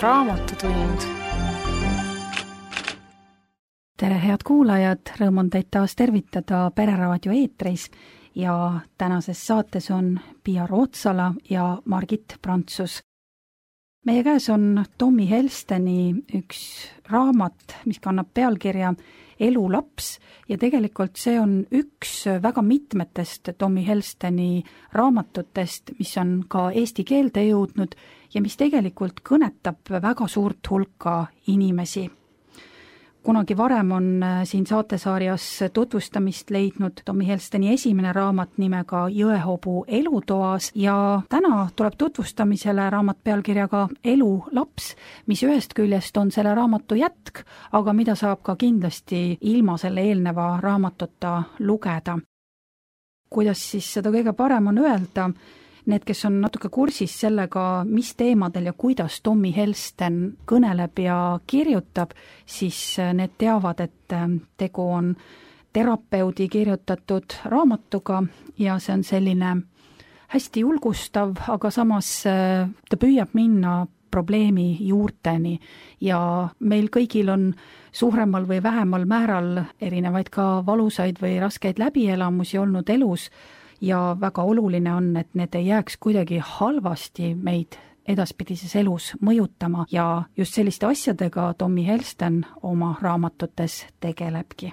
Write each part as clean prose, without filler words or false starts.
Raamatutund. Tere, head kuulajad, rõõm on teid taas tervitada Pereraadio eetris ja tänases saates on Pia Rootsala ja Margit Prantsus. Meie käes on Tommy Helsteni üks raamat, mis kannab pealkirja Elu laps ja tegelikult see on üks väga mitmetest Tommy Helsteni raamatutest, mis on ka eesti keelde jõudnud ja mis tegelikult kõnetab väga suurt hulka inimesi. Kunagi varem on siin saatesarjas tutvustamist leidnud Tommy Helsteni esimene raamat nimega Jõehobu elutoas ja täna tuleb tutvustamisele raamat pealkirjaga Elu laps, mis ühest küljest on selle raamatu jätk, aga mida saab ka kindlasti ilma selle eelneva raamatuta lugeda. Kuidas siis seda kõige parem on öelda? Need, kes on natuke kursis sellega, mis teemadel ja kuidas Tommy Helsten kõneleb ja kirjutab, siis need teavad, et tegu on terapeudi kirjutatud raamatuga ja see on selline hästi julgustav, aga samas ta püüab minna probleemi juurteni ja meil kõigil on suuremal või vähemal määral erinevaid ka valusaid või raskeid läbielamusi olnud elus, ja väga oluline on, et need ei jääks kuidagi halvasti meid edaspidises elus mõjutama ja just selliste asjadega Tommy Helsten oma raamatutes tegelebki.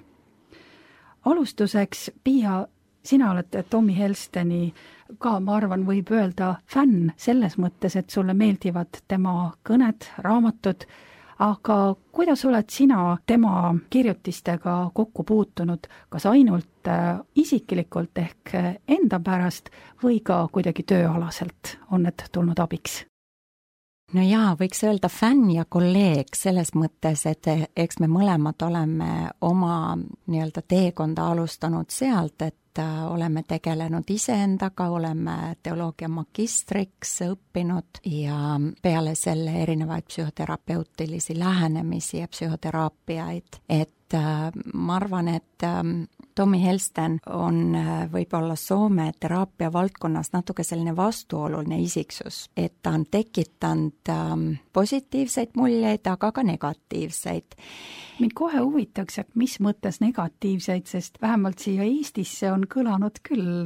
Alustuseks, Pia, sina oled Tommy Helsteni ka, ma arvan, võib öelda fänn selles mõttes, et sulle meeldivad tema kõned, raamatud, aga kuidas oled sina tema kirjutistega kokku puutunud, kas ainult isiklikult ehk enda pärast või ka kuidagi tööalaselt on need tulnud abiks? No jaa, võiks öelda fänn ja kolleeg selles mõttes, et eks me mõlemad oleme oma nii-öelda teekonda alustanud sealt, et oleme tegelenud iseendaga, oleme teoloogia magistriks õppinud ja peale selle erinevaid psühhoterapeutilisi lähenemisi ja psühhoteraapiaid, et ma arvan, et Tommy Helsten on võib-olla Soome teraapia valdkonnas natuke selline vastuoluline isiksus, et ta on tekitanud positiivseid muljeid, aga ka negatiivseid. Mind kohe huvitaks, et mis mõttes negatiivseid, sest vähemalt siia Eestisse on kõlanud küll,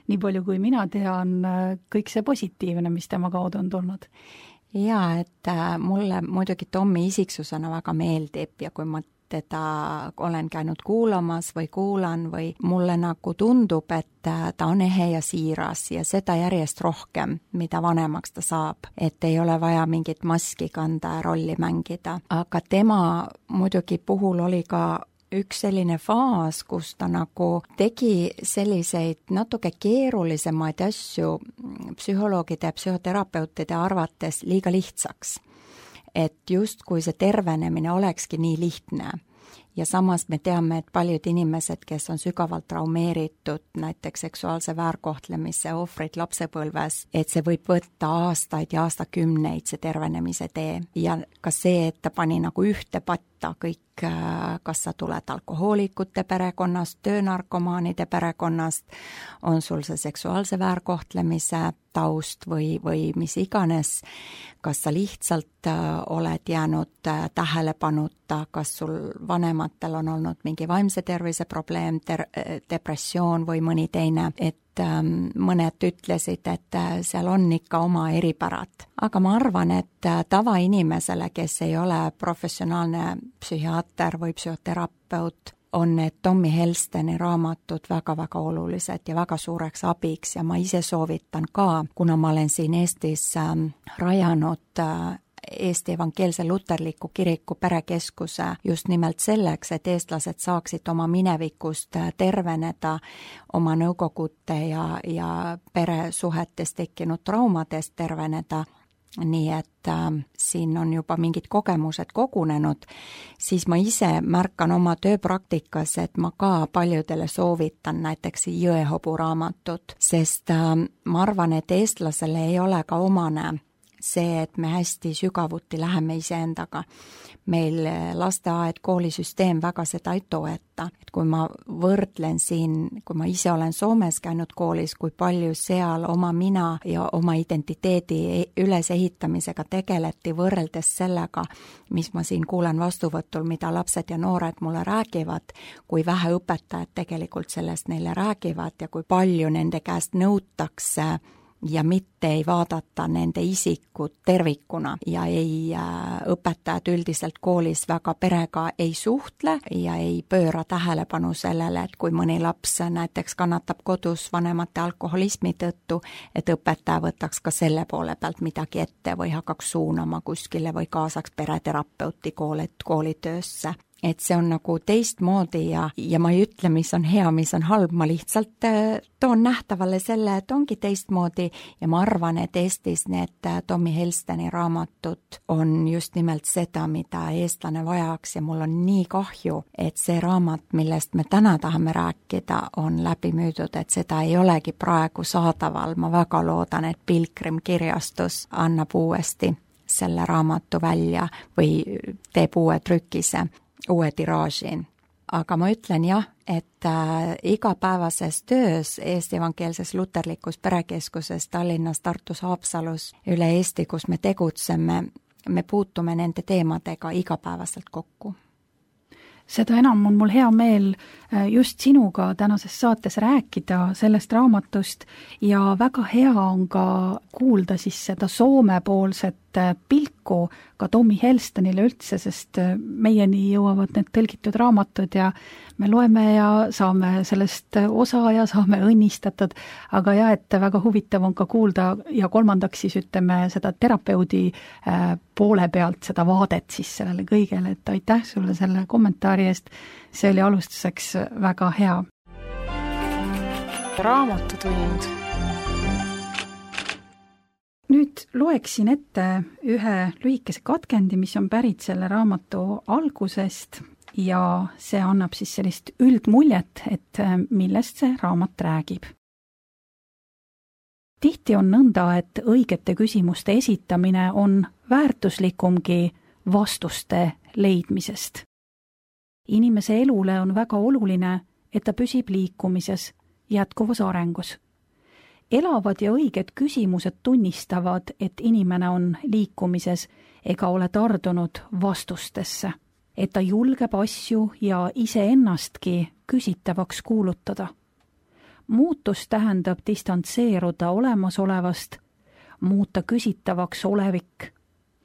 nii palju kui mina tean, kõik see positiivne, mis tema kaudu on tulnud. Jaa, et mulle muidugi Tommy isiksusena väga meeldib ja kui ma teda olen käinud kuulamas või kuulan või mulle nagu tundub, et ta on ehe ja siiras ja seda järjest rohkem, mida vanemaks ta saab, et ei ole vaja mingit maski kanda ja rolli mängida. Aga tema muidugi puhul oli ka üks selline faas, kus ta nagu tegi selliseid natuke keerulisemaid asju psühholoogide ja psühhoterapeutide arvates liiga lihtsaks. Et just kui see tervenemine olekski nii lihtne ja samas me teame, et paljud inimesed, kes on sügavalt traumeeritud, näiteks seksuaalse väärkohtlemise ohvrid lapsepõlves, et see võib võtta aastaid ja aastakümneid see tervenemise tee ja ka see, et ta pani nagu ühte patta kõik, kas sa tuled alkohoolikute perekonnast, töönarkomaanide perekonnast, on sul see seksuaalse väärkohtlemise taust või mis iganes, kas sa lihtsalt oled jäänud tähelepanuta, kas sul vanematel on olnud mingi vaimse tervise probleem, depressioon või mõni teine, et mõned ütlesid, et seal on ikka oma eripärad. Aga ma arvan, et tavainimesele, kes ei ole professionaalne psühhiaater või psühhoterapeut, on need Tommy Helsteni raamatud väga-väga olulised ja väga suureks abiks ja ma ise soovitan ka, kuna ma olen siin Eestis rajanud Eesti Evangeelse Luterliku Kiriku perekeskuse just nimelt selleks, et eestlased saaksid oma minevikust terveneda, oma nõukogute ja peresuhetes tekkinud traumadest terveneda, nii et siin on juba mingid kogemused kogunenud, siis ma ise märkan oma tööpraktikas, et ma ka paljudele soovitan näiteks Jõehobu raamatut, sest ma arvan, et eestlasele ei ole ka omane see, et me hästi sügavuti läheme iseendaga. Meil lasteaed, koolisüsteem väga seda ei toeta. Et kui ma võrdlen siin, kui ma ise olen Soomes käinud koolis, kui palju seal oma mina ja oma identiteedi ülesehitamisega tegeleti võrreldes sellega, mis ma siin kuulen vastuvõtul, mida lapsed ja noored mulle räägivad, kui vähe õpetajad tegelikult sellest neile räägivad ja kui palju nende käest nõutakse ja mitte ei vaadata nende isikut tervikuna ja õpetajad üldiselt koolis väga perega ei suhtle ja ei pööra tähelepanu sellele, et kui mõni laps näiteks kannatab kodus vanemate alkoholismi tõttu, et õpetaja võtaks ka selle poole pealt midagi ette või hakkaks suunama kuskile või kaasaks pereterapeuti koolitöösse. Et see on nagu teistmoodi ja ma ei ütle, mis on hea, mis on halb, ma lihtsalt toon nähtavale selle, et ongi teistmoodi ja ma arvan, et Eestis need Tommy Helsteni raamatud on just nimelt seda, mida eestlane vajaks ja mul on nii kahju, et see raamat, millest me täna tahame rääkida, on läbi müüdud, et seda ei olegi praegu saadaval. Ma väga loodan, et Pilgrim kirjastus annab uuesti selle raamatu välja või teeb uue trükise, uue tiraaži. Aga ma ütlen jah, et igapäevases töös Eesti Evangeelses Luterlikus Perekeskuses Tallinnas, Tartus, Haapsalus, üle Eesti, kus me tegutseme, me puutume nende teemadega igapäevaselt kokku. Seda enam on mul hea meel just sinuga tänases saates rääkida sellest raamatust ja väga hea on ka kuulda siis seda Soome-poolset pilku ka Tommy Helstenile üldse, sest meieni jõuavad need tõlgitud raamatud ja me loeme ja saame sellest osa ja saame õnnistatud, aga jah, et väga huvitav on ka kuulda ja kolmandaks siis ütleme seda terapeudi poole pealt seda vaadet siis sellele kõigele, et aitäh sulle selle kommentaari eest, see oli alustuseks väga hea. Raamatutund. Nüüd loeksin ette ühe lühikese katkendi, mis on pärit selle raamatu algusest ja see annab siis sellist üldmuljet, et millest see raamat räägib. Tihti on nõnda, et õigete küsimuste esitamine on väärtuslikumgi vastuste leidmisest. Inimese elule on väga oluline, et ta püsib liikumises, jätkuvas arengus. Elavad ja õiged küsimused tunnistavad, et inimene on liikumises ega ole tardunud vastustesse, et ta julgeb asju ja iseennastki küsitavaks kuulutada. Muutus tähendab distantseeruda olemasolevast, muuta küsitavaks olevik.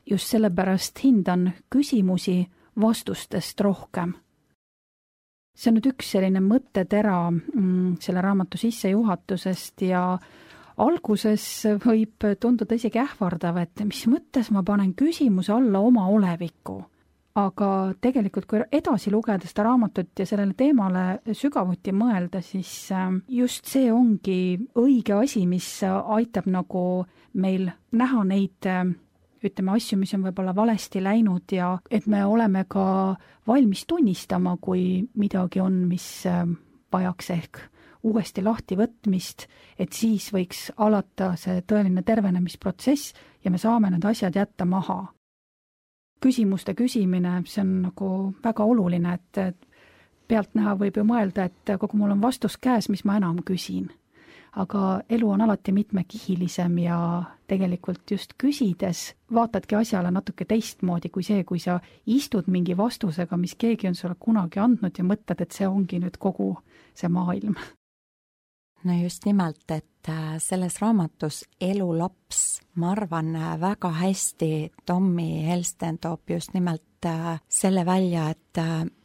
Just sellepärast hindan küsimusi vastustest rohkem. See on nüüd üks selline mõttetera selle raamatu sissejuhatusest ja alguses võib tunduda isegi ähvardav, et mis mõttes ma panen küsimuse alla oma oleviku. Aga tegelikult, kui edasi lugeda seda raamatut ja sellele teemale sügavuti mõelda, siis just see ongi õige asi, mis aitab nagu meil näha neid asju, mis on võib-olla valesti läinud ja et me oleme ka valmis tunnistama, kui midagi on, mis vajaks ehk uuesti lahti võtmist, et siis võiks alata see tõeline tervenemisprotsess ja me saame need asjad jätta maha. Küsimuste küsimine, see on nagu väga oluline, et pealtnäha võib ju mõelda, et kogu mul on vastus käes, mis ma enam küsin. Aga elu on alati mitmekihilisem ja tegelikult just küsides vaatadki asjale natuke teistmoodi kui see, kui sa istud mingi vastusega, mis keegi on sulle kunagi andnud ja mõtled, et see ongi nüüd kogu see maailm. No just nimelt, et selles raamatus Elu laps, ma arvan väga hästi Tommy Helsten toob just nimelt selle välja, et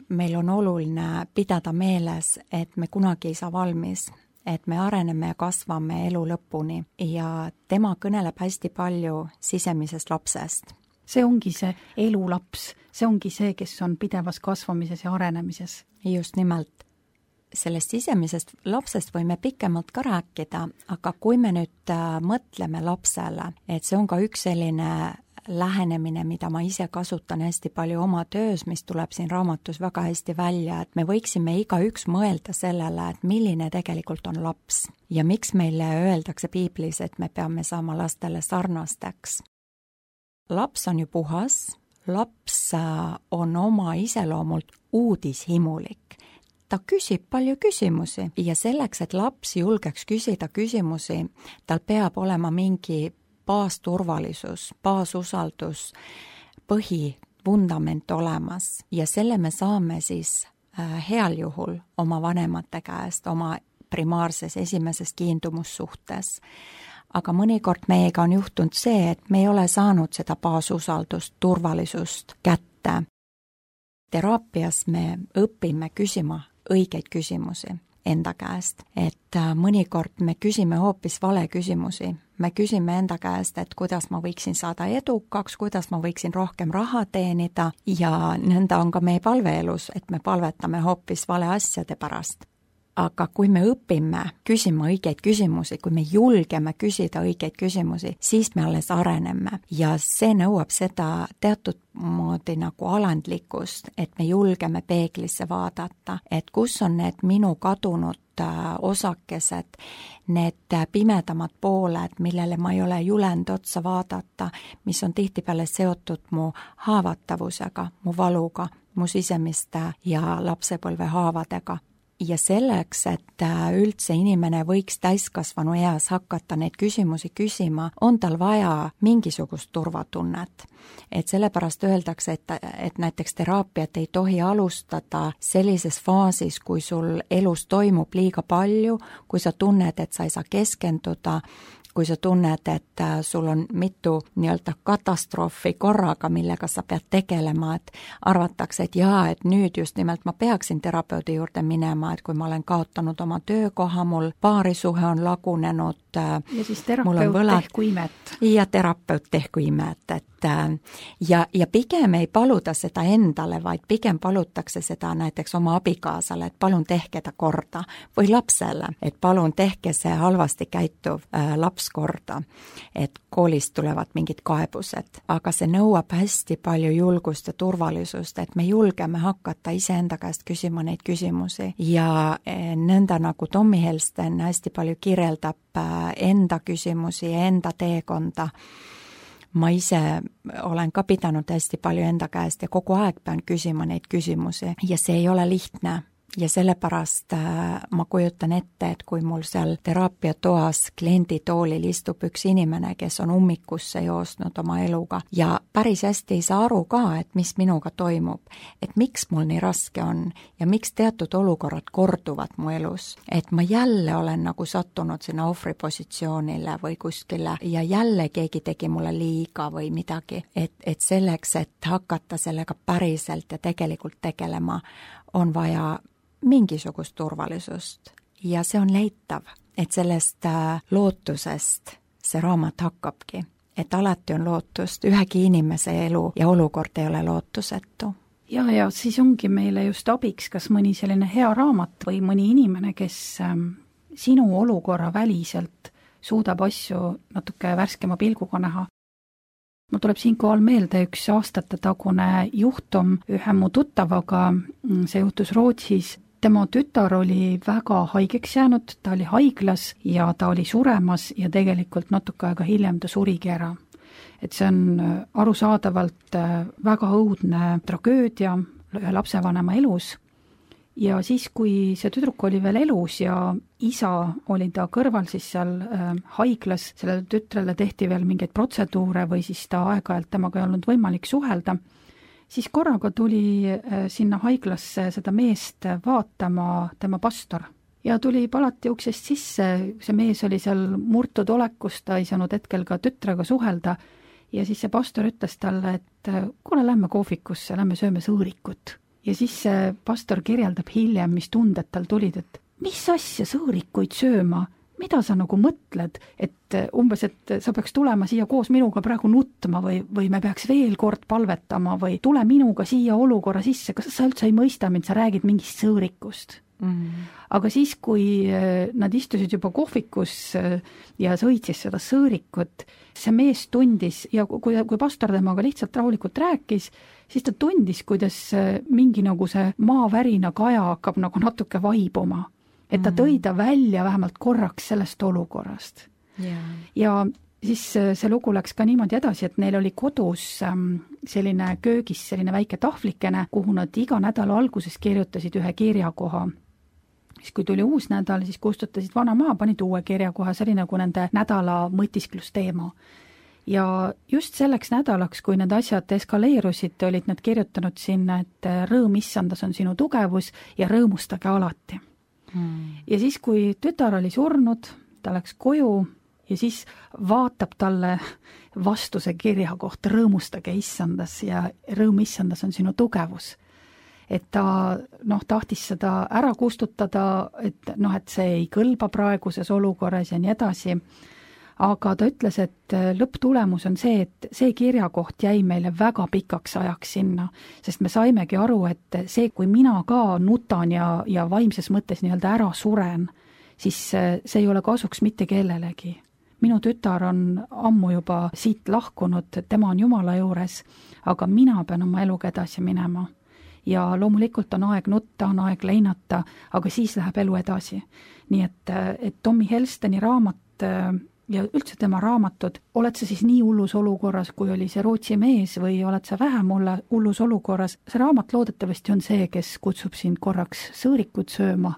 meil on oluline pidada meeles, et me kunagi ei saa valmis, et me areneme ja kasvame elu lõpuni ja tema kõneleb hästi palju sisemisest lapsest. See ongi see elulaps, see ongi see, kes on pidevas kasvamises ja arenemises. Just nimelt. Sellest sisemisest lapsest võime pikemalt ka rääkida, aga kui me nüüd mõtleme lapsele, et see on ka üks selline lähenemine, mida ma ise kasutan hästi palju oma töös, mis tuleb siin raamatus väga hästi välja, et me võiksime igaüks mõelda sellele, et milline tegelikult on laps ja miks meile öeldakse piiblis, et me peame saama lastele sarnasteks. laps on ju puhas, laps on oma iseloomult uudishimulik. Ta küsib palju küsimusi ja selleks, et laps julgeks küsida küsimusi, tal peab olema mingi baasturvalisus, baasusaldus, põhivundament olemas ja selle me saame siis heal juhul oma vanemate käest, oma primaarses esimeses kiindumussuhtes. Aga mõnikord meiega on juhtunud see, et me ei ole saanud seda baasusaldust, turvalisust kätte. Teraapias me õpime küsima õigeid küsimusi enda käest, et mõnikord me küsime hoopis vale küsimusi. Me küsime enda käest, et kuidas ma võiksin saada edukaks, kuidas ma võiksin rohkem raha teenida ja nõnda on ka meie palveelus, et me palvetame hoopis vale asjade pärast. Aga kui me õpime küsima õigeid küsimusi, kui me julgeme küsida õigeid küsimusi, siis me alles areneme ja see nõuab seda teatud moodi nagu alandlikkust, et me julgeme peeglisse vaadata, et kus on need minu kadunud osakesed, need pimedamad pooled, millele ma ei ole julenud otsa vaadata, mis on tihtipeale seotud mu haavatavusega, mu valuga, mu sisemiste ja lapsepõlve haavadega. Ja selleks, et üldse inimene võiks täiskasvanu eas hakata neid küsimusi küsima, on tal vaja mingisugust turvatunnet. Et sellepärast öeldakse, et näiteks teraapiat ei tohi alustada sellises faasis, kui sul elus toimub liiga palju, kui sa tunned, et sa ei saa keskenduda, kui sa tunned, et sul on mitu nii-öelda katastroofi korraga, millega sa pead tegelema, et arvatakse, et jaa, et nüüd just nimelt ma peaksin terapeudi juurde minema, et kui ma olen kaotanud oma töökoha, mul paarisuhe on lagunenud, ja siis terapeut tehku imet. Ja terapeut tehku imet, et ja pigem ei paluda seda endale, vaid pigem palutakse seda näiteks oma abikaasale, et palun tehke ta korda, või lapsele, et palun tehke see halvasti käituv laps korda, et koolist tulevad mingid kaebused, aga see nõuab hästi palju julgust ja turvalisust, et me julgeme hakata iseenda käest küsima neid küsimusi ja nõnda nagu Tommy Helsten hästi palju kirjeldab enda küsimusi ja enda teekonda. Ma ise olen ka pidanud hästi palju enda käest ja kogu aeg pean küsima neid küsimusi ja see ei ole lihtne. Ja sellepärast ma kujutan ette, et kui mul seal teraapiatoas klienditoolil istub üks inimene, kes on ummikusse joosnud oma eluga ja päris hästi ei saa aru ka, et mis minuga toimub, et miks mul nii raske on ja miks teatud olukorrad korduvad mu elus, et ma jälle olen nagu sattunud sinna ohvripositsioonile või kuskile ja jälle keegi tegi mulle liiga või midagi, et selleks, et hakata sellega päriselt ja tegelikult tegelema, on vaja mingisugust turvalisust ja see on leitav, et sellest lootusest see raamat hakkabki, et alati on lootust, ühegi inimese elu ja olukord ei ole lootusetu. Ja siis ongi meile just abiks kas mõni selline hea raamat või mõni inimene, kes sinu olukorra väliselt suudab asju natuke värskema pilguga näha. Mul tuleb siinkohal meelde üks aastate tagune juhtum ühe mu tuttavaga, see juhtus Rootsis. Tema tütar oli väga haigeks jäänud, ta oli haiglas ja ta oli suremas ja tegelikult natuke aega hiljem ta surigi ära. Et see on arusaadavalt väga õudne tragöödia ühe lapsevanema elus. Ja siis, kui see tüdruk oli veel elus ja isa oli ta kõrval siis seal haiglas, sellele tütrele tehti veel mingeid protseduure või siis ta aeg-ajalt temaga ei olnud võimalik suhelda, siis korraga tuli sinna haiglasse seda meest vaatama tema pastor. Ja tuli palati uksest sisse, see mees oli seal murtud olekus, ta ei saanud hetkel ka tütrega suhelda ja siis see pastor ütles talle, et kuule, lähme kohvikusse, lähme sööme sõõrikut. Ja siis see pastor kirjeldab hiljem, mis tunded tal tulid, et mis asja sõõrikuid sööma, mida sa nagu mõtled, et umbes, et sa peaks tulema siia koos minuga praegu nutma või me peaks veel kord palvetama või tule minuga siia olukorra sisse, kas sa üldse ei mõista mind, sa räägid mingist sõõrikust. Aga siis, kui nad istusid juba kohvikus ja sõid siis seda sõõrikut, see mees tundis ja kui pastor temaga lihtsalt rahulikult rääkis, siis ta tundis, kuidas mingi nagu see maavärina kaja hakkab nagu natuke vaibuma. Et ta tõi ta välja vähemalt korraks sellest olukorrast. Yeah. Ja siis see lugu läks ka niimoodi edasi, et neil oli kodus selline köögis selline väike tahvlikene, kuhu nad iga nädala alguses kirjutasid ühe kirjakoha. Siis kui tuli uus nädal, siis kustutasid vana maha, panid uue kirjakoha, see oli nagu nende nädala mõtisklusteema. Ja just selleks nädalaks, kui need asjad eskaleerusid, olid nad kirjutanud sinna, et rõõm issandas on sinu tugevus ja rõõmustage alati. Ja siis, kui tütar oli surnud, ta läks koju ja siis vaatab talle vastu see kirja kohta, rõõmustage issandas ja rõõm issandas on sinu tugevus. Et ta tahtis seda ära kustutada, et see ei kõlba praeguses olukorras ja nii edasi. Aga ta ütles, et lõpptulemus on see, et see kirjakoht jäi meile väga pikaks ajaks sinna, sest me saimegi aru, et see, kui mina ka nutan ja vaimses mõttes nii-öelda ära suren, siis see ei ole kasuks mitte kellelegi. Minu tütar on ammu juba siit lahkunud, tema on Jumala juures, aga mina pean oma eluga edasi minema. Ja loomulikult on aeg nutta, on aeg leinata, aga siis läheb elu edasi. Nii et Tommy Helsteni raamat ja üldse tema raamatud, oled sa siis nii hullus olukorras, kui oli see Rootsi mees või oled sa vähem hullus olukorras, see raamat loodetavasti on see, kes kutsub sind korraks sõõrikut sööma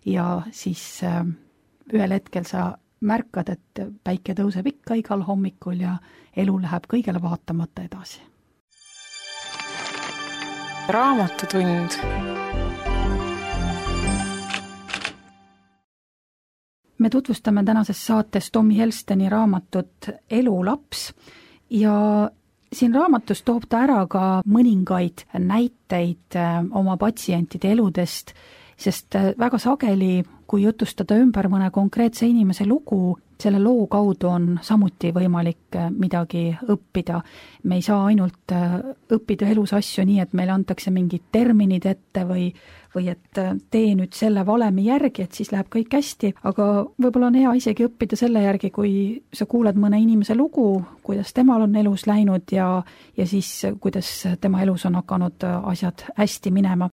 ja siis ühel hetkel sa märkad, et päike tõuseb ikka igal hommikul ja elu läheb kõigele vaatamata edasi. Raamatutund. Me tutvustame tänases saates Tommy Helsteni raamatut Elulaps ja siin raamatus toob ta ära ka mõningaid näiteid oma patsientide eludest, sest väga sageli, kui jutustada ümber mõne konkreetse inimese lugu, selle loo kaudu on samuti võimalik midagi õppida. Me ei saa ainult õppida elus asju nii, et meile antakse mingid terminid ette või et tee nüüd selle valemi järgi, et siis läheb kõik hästi, aga võib-olla on hea isegi õppida selle järgi, kui sa kuuled mõne inimese lugu, kuidas temal on elus läinud ja siis kuidas tema elus on hakanud asjad hästi minema.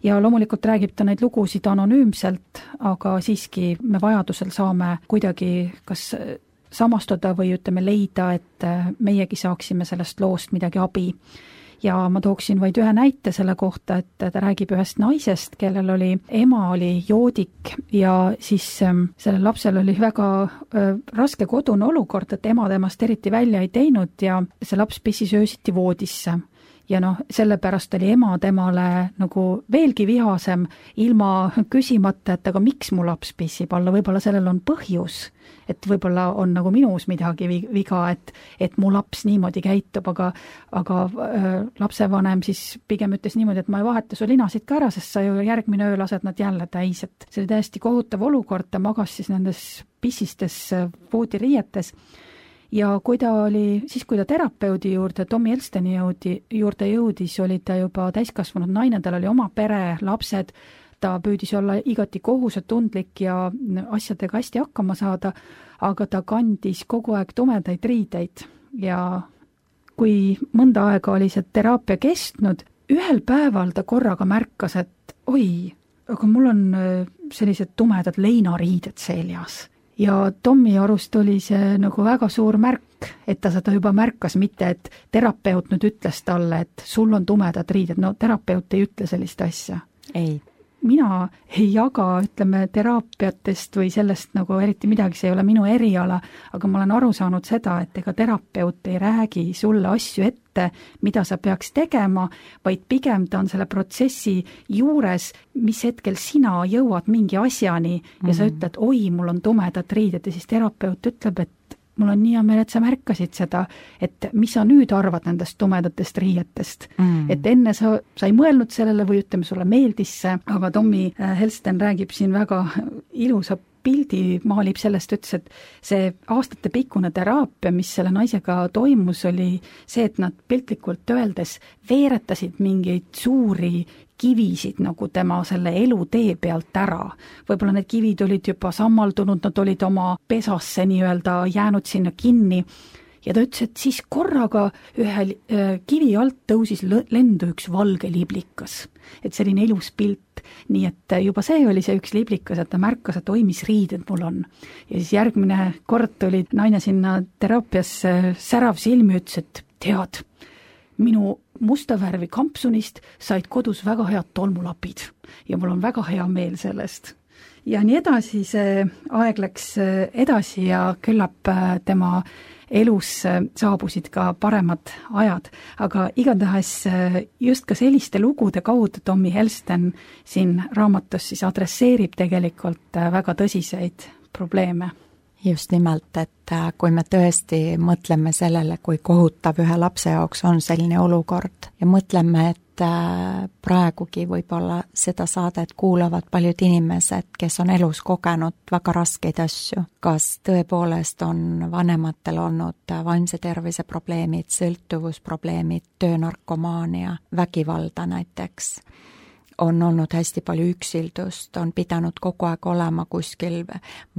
Ja loomulikult räägib ta neid lugusid anonüümselt, aga siiski me vajadusel saame kuidagi kas samastuda või leida, et meiegi saaksime sellest loost midagi abi. Ja ma tooksin vaid ühe näite selle kohta, et ta räägib ühest naisest, kellel ema oli joodik ja siis sellel lapsel oli väga raske kodune olukord, et ema temast eriti välja ei teinud ja see laps pissis öösiti voodisse. Ja sellepärast oli ema temale nagu veelgi vihasem ilma küsimata, et aga miks mu laps pissib alla, võib-olla sellel on põhjus, et võib-olla on nagu minus midagi viga, et mu laps niimoodi käitub, aga lapsevanem siis pigem ütles niimoodi, et ma ei vaheta su linasid ka ära, sest sa ju järgmine öö lased nad jälle täis, et see oli täiesti kohutav olukord, ta magas siis nendes pissistes voodiriietes. Ja kui ta terapeudi juurde, Tommy Helsteni juurde jõudis, oli ta juba täiskasvanud naine, tal oli oma pere, lapsed, ta püüdis olla igati kohusetundlik ja asjadega hästi hakkama saada, aga ta kandis kogu aeg tumedaid riideid ja kui mõnda aega oli see teraapia kestnud, ühel päeval ta korraga märkas, et oi, aga mul on sellised tumedad leinariided seljas. Ja Tommy arust oli see nagu väga suur märk, et ta seda juba märkas, mitte et terapeut nüüd ütles talle, et sul on tumedad riided. No terapeut ei ütle sellist asja. Ei. Mina ei jaga, teraapiatest või sellest nagu eriti midagi, see ei ole minu eriala, aga ma olen aru saanud seda, et ega terapeut ei räägi sulle asju ette, mida sa peaks tegema, vaid pigem ta on selle protsessi juures, mis hetkel sina jõuad mingi asjani ja sa ütled, oi, mul on tumedad riided ja siis terapeut ütleb, et mul on nii hea meel, et sa märkasid seda, et mis sa nüüd arvad nendest tumedatest riietest. Et enne sa ei mõelnud sellele või sulle meeldis see, aga Tommy Helsten räägib siin väga ilusa pildi, maalib sellest, ütles, et see aastatepikkune teraapia, mis selle naisega toimus, oli see, et nad piltlikult öeldes veeretasid mingeid suuri kivisid nagu tema selle elutee pealt ära. Võib-olla need kivid olid juba sammaldunud, nad olid oma pesasse nii-öelda jäänud sinna kinni ja ta ütles, et siis korraga ühe kivi alt tõusis lendu üks valge liblikas. Et selline ilus pilt nii et juba see oli see üks liblikas, et ta märkas, et oi, mis riided mul on. Ja siis järgmine kord tuli naine sinna teraapiasse särav silmi, ütles, et tead, minu musta värvi kampsunist said kodus väga head tolmulapid ja mul on väga hea meel sellest. Ja nii edasi, see aeg läks edasi ja küllap tema elus saabusid ka paremad ajad, aga igatahes just ka selliste lugude kaudu Tommy Helsten siin raamatus siis adresseerib tegelikult väga tõsiseid probleeme. Just nimelt, et kui me tõesti mõtleme sellele, kui kohutav ühe lapse jaoks on selline olukord ja mõtleme, et praegugi võib-olla seda saadet kuulavad paljud inimesed, kes on elus kogenud väga raskeid asju. Kas tõepoolest on vanematel olnud vaimse tervise probleemid, sõltuvusprobleemid, töönarkomaania, vägivalda näiteks, on olnud hästi palju üksildust, on pidanud kogu aeg olema kuskil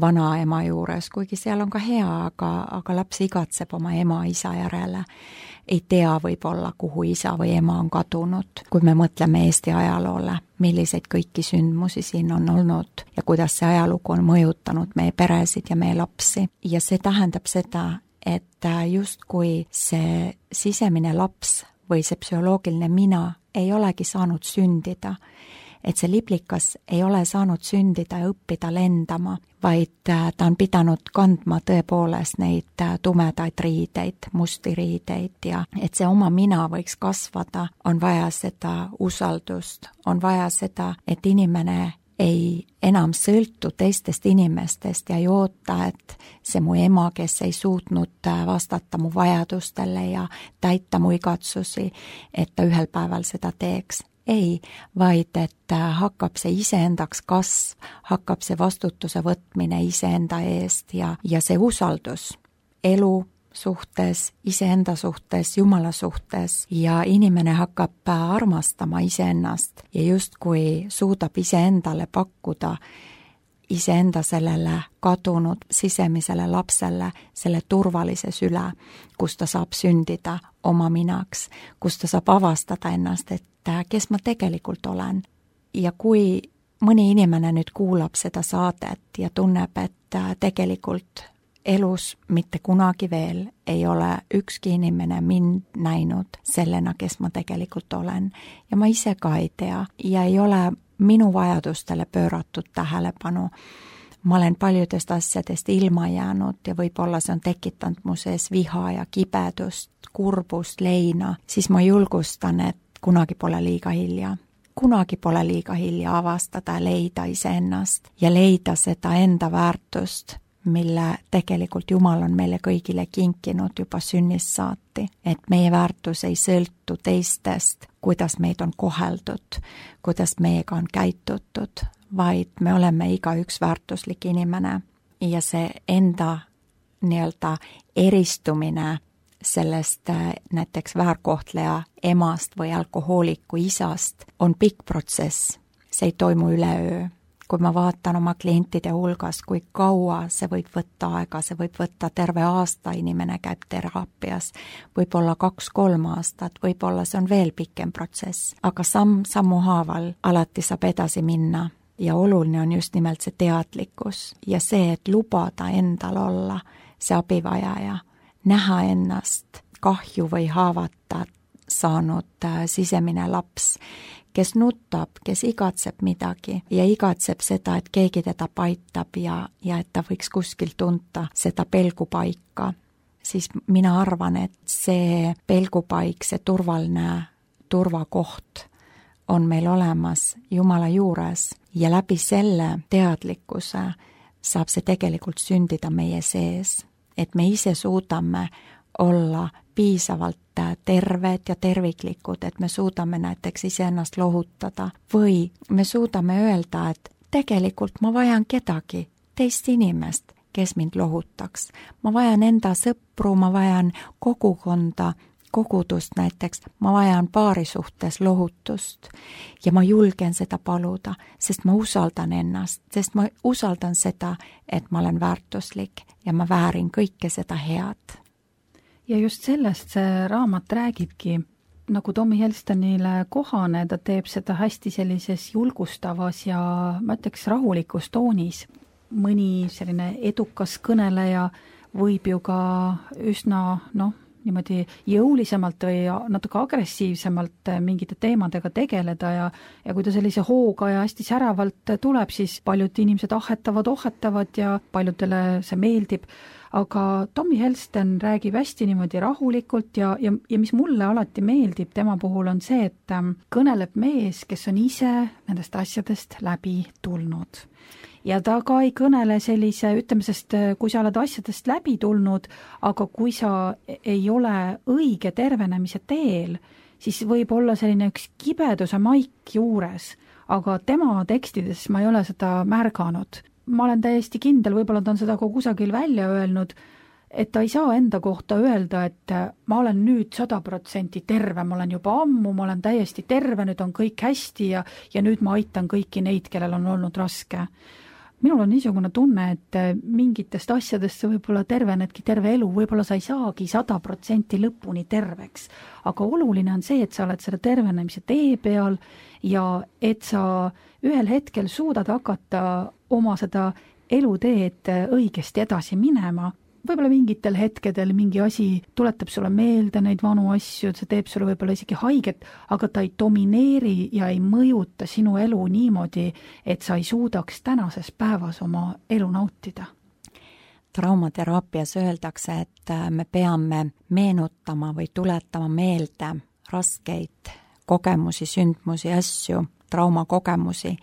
vanaema juures, kuigi seal on ka hea, aga laps igatseb oma ema-isa järele. Ei tea võib-olla, kuhu isa või ema on kadunud. Kui me mõtleme Eesti ajaloole, milliseid kõiki sündmusi siin on olnud ja kuidas see ajalugu on mõjutanud meie peresid ja meie lapsi. Ja see tähendab seda, et justkui see sisemine laps või see psühholoogiline mina ei olegi saanud sündida, et see liblikas ei ole saanud sündida ja õppida lendama, vaid ta on pidanud kandma tõepoolest neid tumedaid riideid, musti riideid ja et see oma mina võiks kasvada, on vaja seda usaldust, on vaja seda, et inimene ei enam sõltu teistest inimestest ja ei oota, et see mu ema, kes ei suutnud vastata mu vajadustele ja täita mu igatsusi, et ta ühel päeval seda teeks. Ei, vaid et hakkab see iseendaks kasv, hakkab see vastutuse võtmine iseenda eest ja see usaldus elu suhtes, iseenda suhtes, Jumala suhtes ja inimene hakkab armastama iseennast ja justkui suudab iseendale pakkuda iseenda sellele kadunud sisemisele lapsele selle turvalise süle, kus ta saab sündida oma minaks, kus ta saab avastada ennast, et kes ma tegelikult olen. Ja kui mõni inimene nüüd kuulab seda saadet ja tunneb, et tegelikult elus mitte kunagi veel ei ole ükski inimene mind näinud sellena, kes ma tegelikult olen ja ma ise ka ei tea ja ei ole minu vajadustele pööratud tähelepanu. Ma olen paljudest asjadest ilma jäänud ja võib-olla see on tekitanud mu sees viha ja kibedust, kurbust, leina, siis ma julgustan, et kunagi pole liiga hilja. Kunagi pole liiga hilja avastada ja leida iseennast ja leida seda enda väärtust, mille tegelikult Jumal on meile kõigile kinkinud juba sünnist saati, et meie väärtus ei sõltu teistest, kuidas meid on koheldud, kuidas meiega on käitutud, vaid me oleme igaüks väärtuslik inimene ja see enda nii-öelda eristumine sellest näiteks väärkohtleja emast või alkohooliku isast on pikk protsess, see ei toimu üleöö. Kui ma vaatan oma klientide hulgas, kui kaua see võib võtta aega, see võib võtta terve aasta, inimene käib teraapias, võib-olla 2-3 aastat, võib-olla see on veel pikem protsess, aga sammu haaval alati saab edasi minna ja oluline on just nimelt see teadlikkus ja see, et lubada endal olla see abivajaja, näha ennast kahju või haavata saanud sisemine laps, kes nutab, kes igatseb midagi ja igatseb seda, et keegi teda paitab ja et ta võiks kuskil tunta seda pelgupaika, siis mina arvan, et see pelgupaik, see turvaline turvakoht on meil olemas Jumala juures ja läbi selle teadlikkuse saab see tegelikult sündida meie sees, et me ise suudame olla piisavalt terved ja terviklikud, et me suudame näiteks iseennast lohutada või me suudame öelda, et tegelikult ma vajan kedagi, teist inimest, kes mind lohutaks. Ma vajan enda sõpru, ma vajan kogukonda, kogudust näiteks, ma vajan paari suhtes lohutust ja ma julgen seda paluda, sest ma usaldan ennast, sest ma usaldan seda, et ma olen väärtuslik ja ma väärin kõike seda head. Ja just sellest see raamat räägibki, nagu Tommy Helstonile kohane, ta teeb seda hästi sellises julgustavas ja ma ütleks rahulikus toonis. Mõni selline edukas kõneleja võib ju ka üsna niimoodi jõulisemalt või natuke agressiivsemalt mingite teemadega tegeleda ja kui ta sellise hooga ja hästi säravalt tuleb, siis paljud inimesed ohhetavad ja paljudele see meeldib. Aga Tommy Helston räägib hästi niimoodi rahulikult ja mis mulle alati meeldib tema puhul on see, et kõneleb mees, kes on ise nendest asjadest läbi tulnud. Ja ta ka ei kõnele sellise, ütleme, sest kui sa oled asjadest läbi tulnud, aga kui sa ei ole õige tervenemise teel, siis võib olla selline üks kibeduse maik juures, aga tema tekstides ma ei ole seda märganud. Ma olen täiesti kindel, võib-olla ta on seda kusagil välja öelnud, et ta ei saa enda kohta öelda, et ma olen nüüd 100% terve, ma olen juba ammu, ma olen täiesti terve, nüüd on kõik hästi ja nüüd ma aitan kõiki neid, kellel on olnud raske. Minul on niisugune tunne, et mingitest asjadest sa võib-olla tervenedki terve elu, võib-olla sa ei saagi 100% lõpuni terveks, aga oluline on see, et sa oled selle tervenemise tee peal ja et sa ühel hetkel suudad hakata oma seda eluteed õigesti edasi minema. Võib-olla mingitel hetkedel mingi asi tuletab sulle meelde neid vanu asju, see teeb sulle võib-olla isegi haiget, aga ta ei domineeri ja ei mõjuta sinu elu niimoodi, et sa ei suudaks tänases päevas oma elu nautida. Traumateraapias öeldakse, et me peame meenutama või tuletama meelde raskeid kogemusi, sündmusi, asju, traumakogemusi,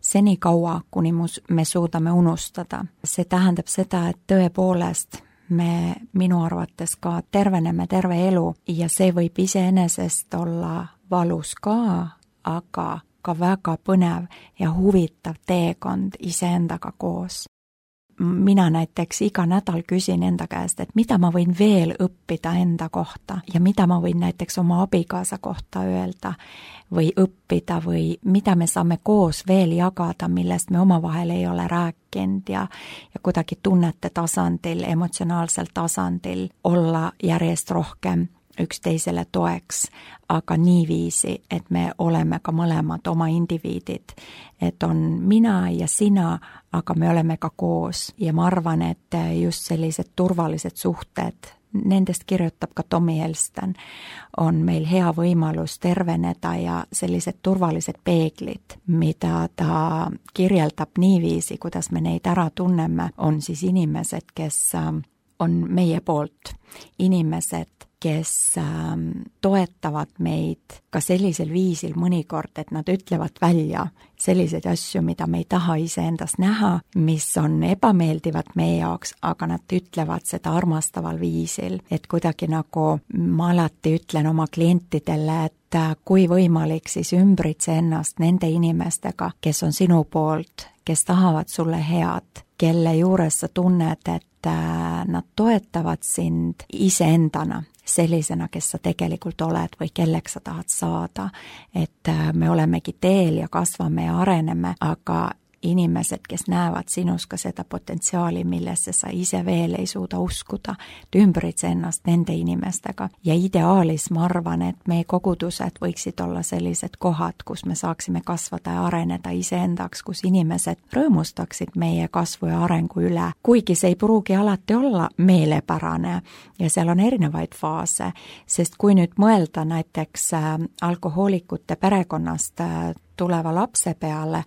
senikaua, kuni me suudame unustada. See tähendab seda, et tõepoolest me minu arvates ka terveneme terve elu ja see võib iseenesest olla valus ka, aga ka väga põnev ja huvitav teekond iseendaga koos. Mina näiteks iga nädal küsin enda käest, et mida ma võin veel õppida enda kohta ja mida ma võin näiteks oma abikaasa kohta öelda või õppida või mida me saame koos veel jagada, millest me omavahel ei ole rääkinud ja kuidagi tunnete tasandil, emotsionaalsel tasandil olla järjest rohkem üksteisele toeks, aga niiviisi, et me oleme ka mõlemad oma indiviidid, et on mina ja sina, aga me oleme ka koos ja ma arvan, et just sellised turvalised suhted, nendest kirjutab ka Tommy Helston, on meil hea võimalus terveneda ja sellised turvalised peeglid, mida ta kirjeldab niiviisi, kuidas me neid ära tunneme, on siis inimesed, kes on meie poolt, inimesed, kes toetavad meid ka sellisel viisil mõnikord, et nad ütlevad välja selliseid asju, mida me ei taha iseendast näha, mis on ebameeldivad meie jaoks, aga nad ütlevad seda armastaval viisil, et kuidagi nagu ma alati ütlen oma klientidele, et kui võimalik, siis ümbritse ennast nende inimestega, kes on sinu poolt, kes tahavad sulle head, kelle juures sa tunned, et nad toetavad sind iseendana, sellisena, kes sa tegelikult oled või kelleks sa tahad saada, et me olemegi teel ja kasvame ja areneme, aga inimesed, kes näevad sinus ka seda potentsiaali, millesse sa ise veel ei suuda uskuda, ümbritse ennast nende inimestega. Ja ideaalis ma arvan, et meie kogudused võiksid olla sellised kohad, kus me saaksime kasvada ja areneda iseendaks, kus inimesed rõõmustaksid meie kasvu ja arengu üle. Kuigi see ei pruugi alati olla meelepärane ja seal on erinevaid faase, sest kui nüüd mõelda näiteks alkohoolikute perekonnast tuleva lapse peale,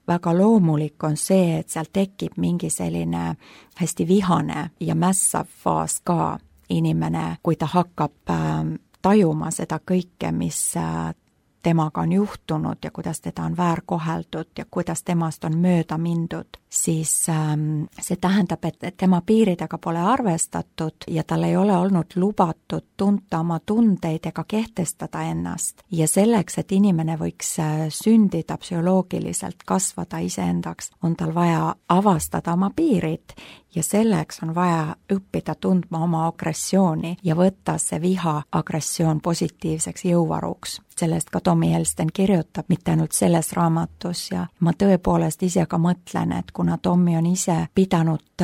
väga loomulik on see, et seal tekib mingi selline hästi vihane ja mässav faas ka inimene, kui ta hakkab tajuma seda kõike, mis temaga on juhtunud ja kuidas teda on väärkoheldud ja kuidas temast on mööda mindud, siis see tähendab, et tema piiridega pole arvestatud ja tal ei ole olnud lubatud tunta oma tundeid ega kehtestada ennast. Ja selleks, et inimene võiks sündida psühholoogiliselt, kasvada iseendaks, on tal vaja avastada oma piirid ja selleks on vaja õppida tundma oma agressiooni ja võtta see viha agressioon positiivseks jõuvaruks. Sellest ka Tommy Helston kirjutab, mitte ainult selles raamatus ja ma tõepoolest ise ka mõtlen, et kuna Tommy on ise pidanud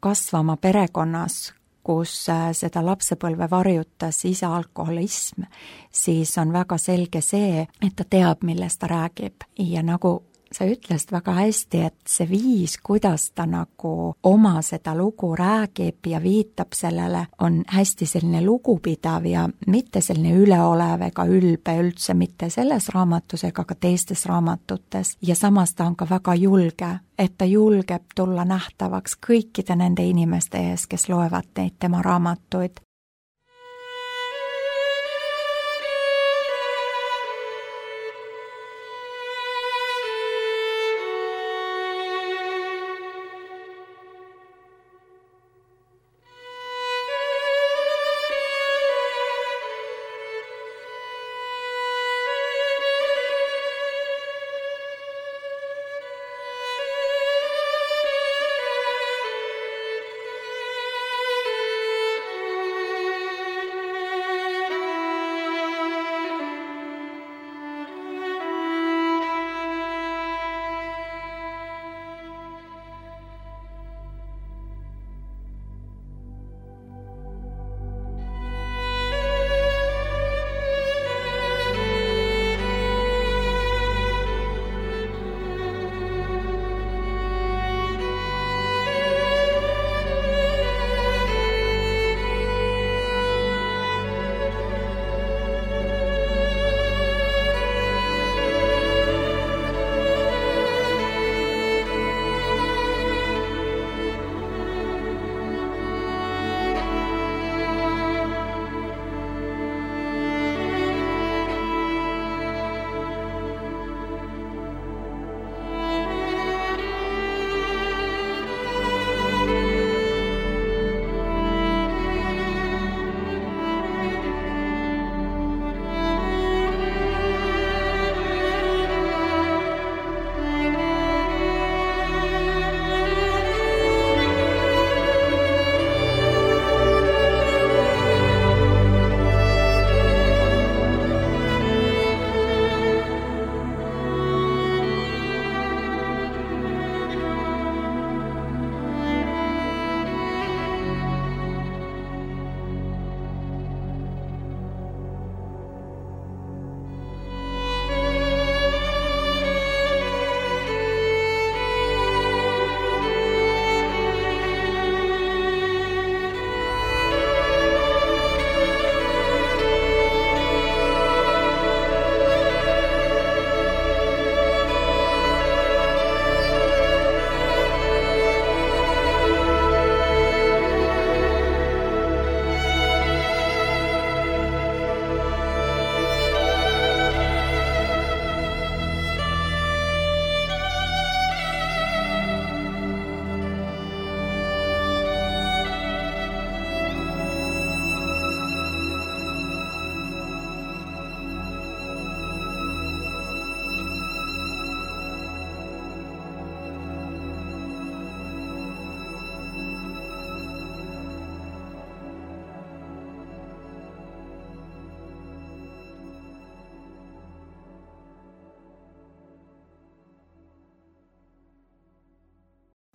kasvama perekonnas, kus seda lapsepõlve varjutas isa alkoholism, siis on väga selge see, et ta teab, millest ta räägib. Ja nagu sa ütlesid väga hästi, et see viis, kuidas ta nagu oma seda lugu räägib ja viitab sellele, on hästi selline lugupidav ja mitte selline üleolev ega ülbe üldse mitte selles raamatus ega ka teistes raamatutes. Ja samas ta on ka väga julge, et ta julgeb tulla nähtavaks kõikide nende inimeste ees, kes loevad neid tema raamatuid.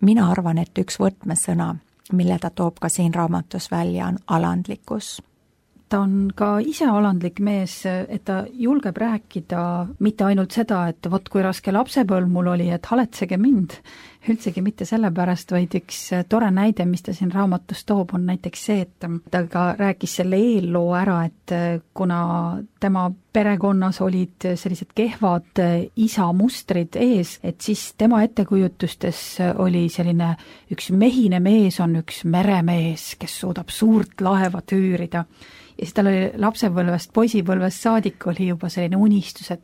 Mina arvan, et üks võtmesõna, mille ta toob ka siin raamatus välja, on alandlikkus. Ta on ka ise alandlik mees, et ta julgeb rääkida mitte ainult seda, et vot kui raske lapsepõlv mul oli, et haletsege mind, üldsegi mitte sellepärast, vaid üks tore näide, mis ta siin raamatus toob, on näiteks see, et ta ka rääkis selle eelloo ära, et kuna tema perekonnas olid sellised kehvad isamustrid ees, et siis tema ettekujutustes oli selline üks mehine mees on üks meremees, kes suudab suurt laeva tüürida. Ja siis tal oli lapsepõlvest, poisipõlvest saadik oli juba selline unistus, et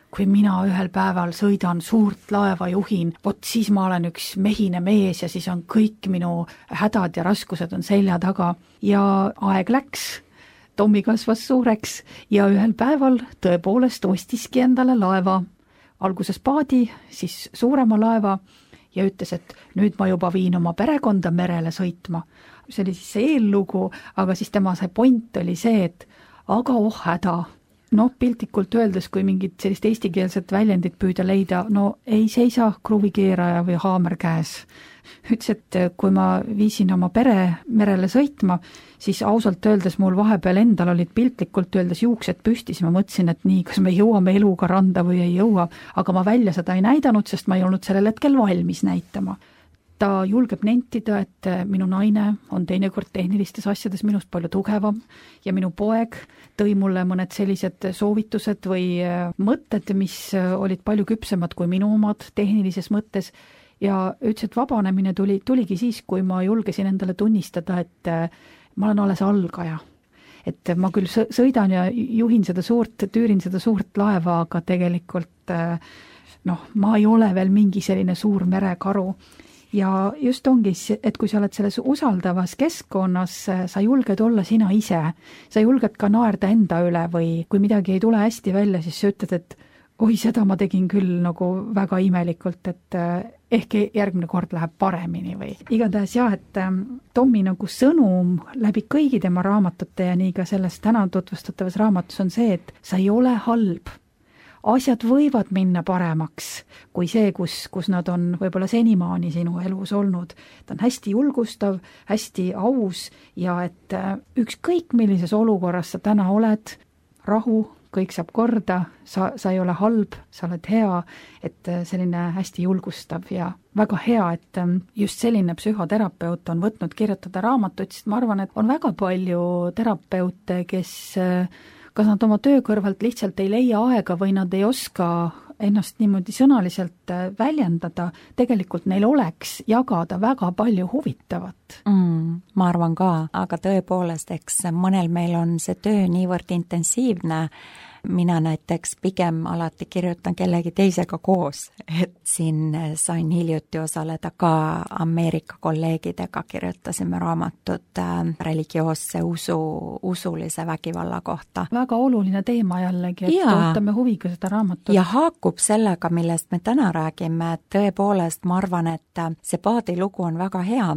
kui mina ühel päeval sõidan suurt laeva juhin, vot siis ma olen üks mehine mees ja siis on kõik minu hädad ja raskused on selja taga. Ja aeg läks, Tommi kasvas suureks ja ühel päeval tõepoolest ostiski endale laeva. Alguses paadi, siis suurema laeva ja ütles, et nüüd ma juba viin oma perekonda merele sõitma. See oli siis see eellugu, aga siis tema see point oli see, et aga oh häda, noh, piltlikult öeldes, kui mingit sellist eestikeelset väljendit püüda leida, no ei seisa kruvikeeraja või haamer käes. Ütles, et kui ma viisin oma pere merele sõitma, siis ausalt öeldes mul vahepeal endal olid piltlikult öeldes juuksed püsti, siis ma mõtlesin, et nii, kas me jõuame eluga randa või ei jõua, aga ma välja seda ei näidanud, sest ma ei olnud sellel hetkel valmis näitama. Ta julgeb nentida, et minu naine on teinekord tehnilistes asjades minust palju tugevam ja minu poeg tõi mulle mõned sellised soovitused või mõtted, mis olid palju küpsemad kui minu omad tehnilises mõttes ja ütles, et vabanemine tuligi siis, kui ma julgesin endale tunnistada, et ma olen alles algaja. Et ma küll sõidan ja juhin tüürin seda suurt laeva, aga tegelikult ma ei ole veel mingi selline suur merekaru. Ja just ongi, et kui sa oled selles usaldavas keskkonnas, sa julged olla sina ise, sa julged ka naerda enda üle või kui midagi ei tule hästi välja, siis sa ütled, et oi, seda ma tegin küll nagu väga imelikult, et ehk järgmine kord läheb paremini või. Igatahes jah, et Tommi nagu sõnum läbi kõigi tema raamatute ja nii ka selles täna tutvustatavas raamatus on see, et sa ei ole halb. Asjad võivad minna paremaks kui see, kus nad on võib-olla senimaani sinu elus olnud. Ta on hästi julgustav, hästi aus ja et ükskõik millises olukorras sa täna oled, rahu, kõik saab korda, sa ei ole halb, sa oled hea, et selline hästi julgustav ja väga hea, et just selline psühhoterapeut on võtnud kirjutada raamatut, sest ma arvan, et on väga palju terapeute, kes kas nad oma töö kõrvalt lihtsalt ei leia aega või nad ei oska ennast niimoodi sõnaliselt väljendada, tegelikult neil oleks jagada väga palju huvitavat. Ma arvan ka, aga tõepoolest, eks mõnel meil on see töö niivõrd intensiivne, mina näiteks pigem alati kirjutan kellegi teisega koos, et siin sain hiljuti osaleda ka Ameerika kolleegidega, kirjutasime raamatut religioosse usulise vägivalla kohta. Väga oluline teema jällegi, et ootame huviga seda raamatut. Ja haakub sellega, millest me täna räägime, et tõepoolest ma arvan, et see paadi lugu on väga hea.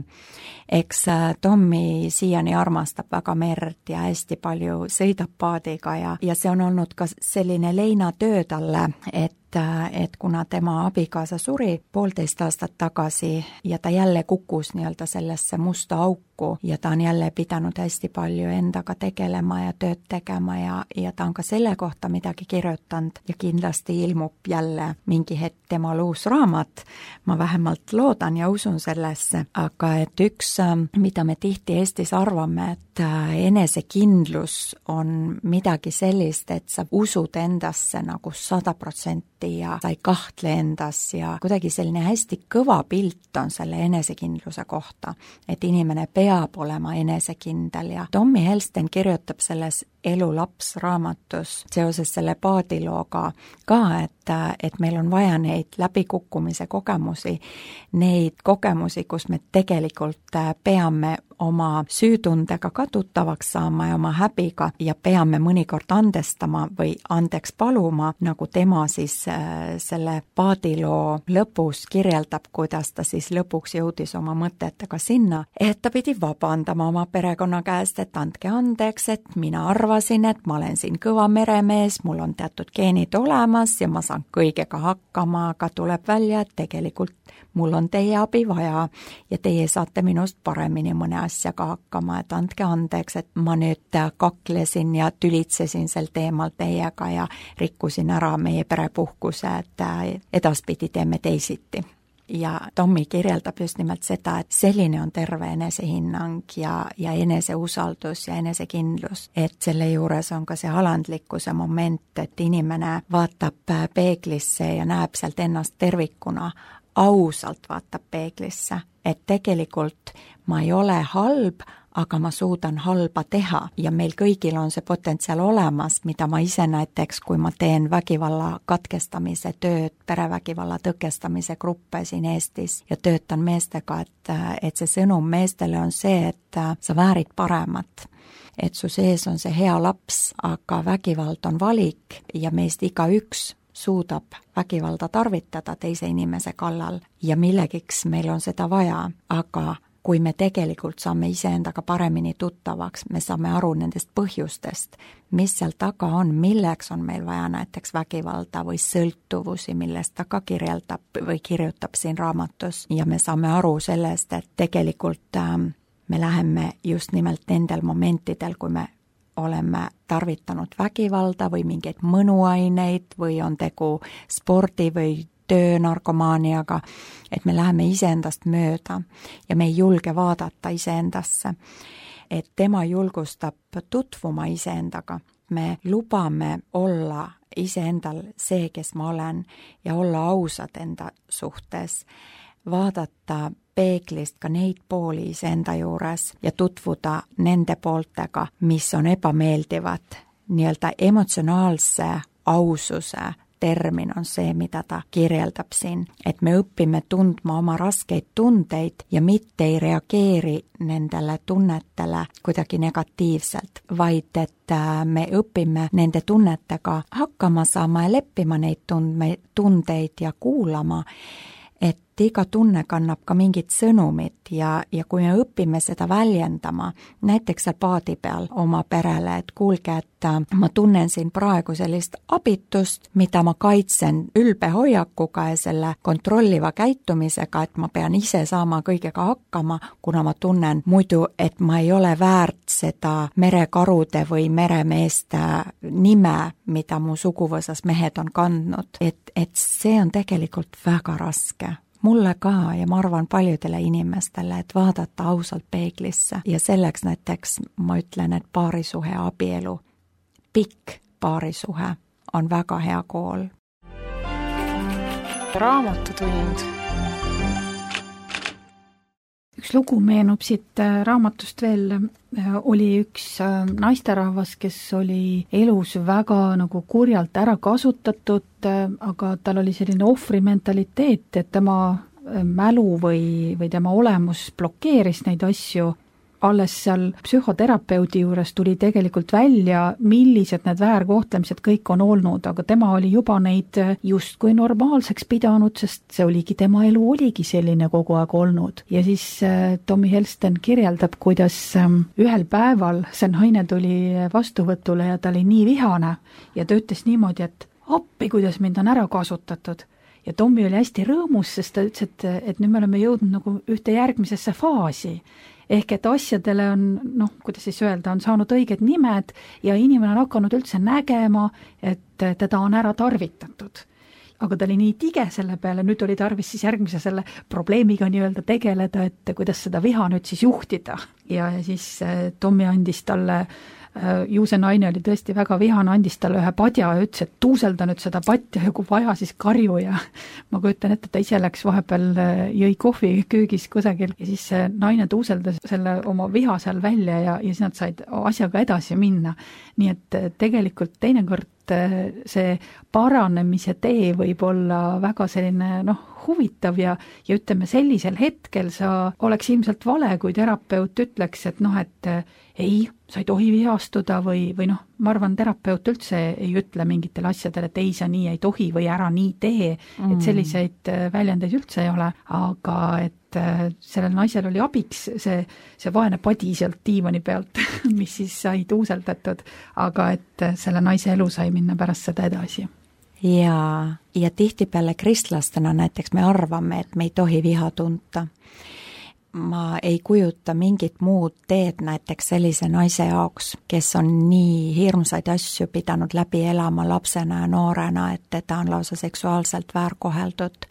Eks Tommi siiani armastab väga merd ja hästi palju sõidab paadiga ja see on olnud ka selline leinatöö talle, et kuna tema abikaasa suri 1,5 aastat tagasi ja ta jälle kukkus nii-öelda sellesse musta auku ja ta on jälle pidanud hästi palju endaga tegelema ja tööd tegema ja ta on ka selle kohta midagi kirjutanud ja kindlasti ilmub jälle mingi hetk temal uus raamat. Ma vähemalt loodan ja usun sellesse, aga et üks, mida me tihti Eestis arvame, et enesekindlus on midagi sellist, et sa usud endasse nagu 100% ja sa ei kahtle endas ja kuidagi selline hästi kõva pilt on selle enesekindluse kohta, et inimene peab olema enesekindel ja Tommi Helsten kirjutab selles Elulaps raamatus seoses selle paadilooga ka, et meil on vaja neid läbikukkumise kogemusi, neid kogemusi, kus me tegelikult peame oma süütundega ka tuttavaks saama ja oma häbiga ja peame mõnikord andestama või andeks paluma, nagu tema siis selle paadiloo lõpus kirjeldab, kuidas ta siis lõpuks jõudis oma mõtetega sinna, et ta pidi vabandama oma perekonna käest, et andke andeks, et mina arvasin, et ma olen siin kõva meremees, mul on teatud geenid olemas ja ma saan kõigega hakkama, aga tuleb välja, et tegelikult mul on teie abi vaja ja teie saate minust paremini mõne asjaga hakkama, et andke andeks, et ma nüüd kaklesin ja tülitsesin sel teemal teiega ja rikkusin ära meie perepuhkuse, et edaspidi teeme teisiti. Ja Tommi kirjeldab just nimelt seda, et selline on terve enesehinnang ja eneseusaldus ja enesekindlus, et selle juures on ka see alandlikkuse moment, et inimene vaatab peeglisse ja näeb sealt ennast tervikuna, ausalt vaatab peeglisse, et tegelikult ma ei ole halb, aga ma suudan halba teha ja meil kõigil on see potentsiaal olemas, mida ma ise näiteks, kui ma teen vägivalla katkestamise tööd, perevägivalla tõkestamise gruppe siin Eestis ja töötan meestega, et see sõnum meestele on see, et sa väärid paremat. Et su sees on see hea laps, aga vägivald on valik ja meist igaüks suudab vägivalda tarvitada teise inimese kallal ja millegiks meil on seda vaja, aga kui me tegelikult saame iseendaga paremini tuttavaks, me saame aru nendest põhjustest, mis seal taga on, milleks on meil vaja näiteks vägivalda või sõltuvusi, millest ta ka kirjeldab või kirjutab siin raamatus ja me saame aru sellest, et tegelikult me läheme just nimelt nendel momentidel, kui me oleme tarvitanud vägivalda või mingeid mõnuaineid või on tegu spordi või töönarkomaaniaga, et me läheme iseendast mööda ja me ei julge vaadata iseendasse. Et tema julgustab tutvuma iseendaga. Me lubame olla iseendal see, kes ma olen ja olla ausad enda suhtes, vaadata peeglist ka neid pooli iseenda juures ja tutvuda nende pooltega, mis on ebameeldivad. Nii-öelda emotsionaalse aususe termin on see, mida ta kirjeldab siin, et me õpime tundma oma raskeid tundeid ja mitte ei reageeri nendele tunnetele kuidagi negatiivselt, vaid et me õpime nende tunnetega hakkama saama ja leppima neid tundeid ja kuulama, et iga tunne kannab ka mingit sõnumit ja kui me õpime seda väljendama, näiteks seal paadi peal oma perele, et kuulge, et ma tunnen siin praegu sellist abitust, mida ma kaitsen ülbe hoiakuga ja selle kontrolliva käitumisega, et ma pean ise saama kõigega hakkama, kuna ma tunnen muidu, et ma ei ole väärt seda merekarude või meremeeste nime, mida mu suguvõsas mehed on kandnud, et see on tegelikult väga raske. Mulle ka ja ma arvan paljudele inimestele, et vaadata ausalt peeglisse ja selleks näiteks ma ütlen, et paarisuhe abielu, pikk paarisuhe on väga hea kool. Raamatutund. Üks lugu meenub siit raamatust veel, oli üks naisterahvas, kes oli elus väga nagu kurjalt ära kasutatud, aga tal oli selline ohvrimentaliteet, et tema mälu või tema olemus blokeeris neid asju. Alles seal psühhoterapeudi juures tuli tegelikult välja, millised need väärkohtlemised kõik on olnud, aga tema oli juba neid justkui normaalseks pidanud, sest see oligi, tema elu oligi selline kogu aeg olnud. Ja siis Tommy Helsten kirjeldab, kuidas ühel päeval see naine tuli vastuvõtule ja ta oli nii vihane ja ta ütles niimoodi, et appi, kuidas mind on ära kasutatud. Ja Tommy oli hästi rõõmus, sest ta ütles, et nüüd me oleme jõudnud nagu ühte järgmisesse faasi. Ehk et asjadele on, kuidas siis öelda, on saanud õiged nimed ja inimene on hakanud üldse nägema, et teda on ära tarvitatud. Aga ta oli nii tige selle peale, nüüd oli tarvis siis järgmise selle probleemiga nii-öelda tegeleda, et kuidas seda viha nüüd siis juhtida. Ja siis Tommy andis talle, ju see naine oli tõesti väga vihane, andis talle ühe padja ja ütles, et tuuselda nüüd seda patja ja kui vaja, siis karju ja ma kujutan ette, ta ise läks vahepeal, jõi kohvi köögis kusagil ja siis see naine tuuseldas selle oma viha seal välja ja siis nad said asjaga edasi minna. Nii et tegelikult teinekord see paranemise tee võib olla väga selline huvitav ja ütleme sellisel hetkel sa oleks ilmselt vale, kui terapeut ütleks, et et ei, sa ei tohi vihastuda või ma arvan, terapeut üldse ei ütle mingitele asjadele, et ei, sa nii ei tohi või ära nii tee, et selliseid väljendeid üldse ei ole, aga et sellel naisel oli abiks see vaene padi sealt diivani pealt, mis siis sai tuuseldatud, aga et selle naise elu sai minna pärast seda edasi. Ja tihtipeale kristlastena näiteks me arvame, et me ei tohi viha tunta. Ma ei kujuta mingit muud teed näiteks sellise naise jaoks, kes on nii hirmsaid asju pidanud läbi elama lapsena ja noorena, et teda on lausa seksuaalselt väärkoheldud.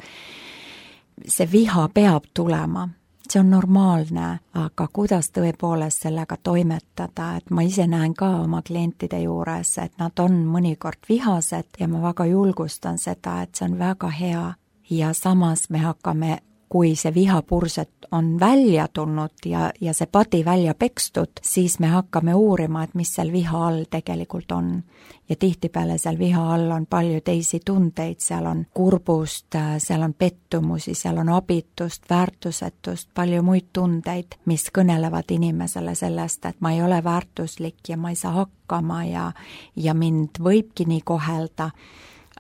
See viha peab tulema, see on normaalne, aga kuidas tõepoolest sellega toimetada, et ma ise näen ka oma klientide juures, et nad on mõnikord vihased ja ma väga julgustan seda, et see on väga hea ja samas me hakkame, kui see vihapurset on välja tulnud ja see padi välja pekstud, siis me hakkame uurima, et mis seal viha all tegelikult on. Ja tihtipeale seal viha all on palju teisi tundeid, seal on kurbust, seal on pettumusi, seal on abitust, väärtusetust, palju muid tundeid, mis kõnelevad inimesele sellest, et ma ei ole väärtuslik ja ma ei saa hakkama ja mind võibki nii kohelda.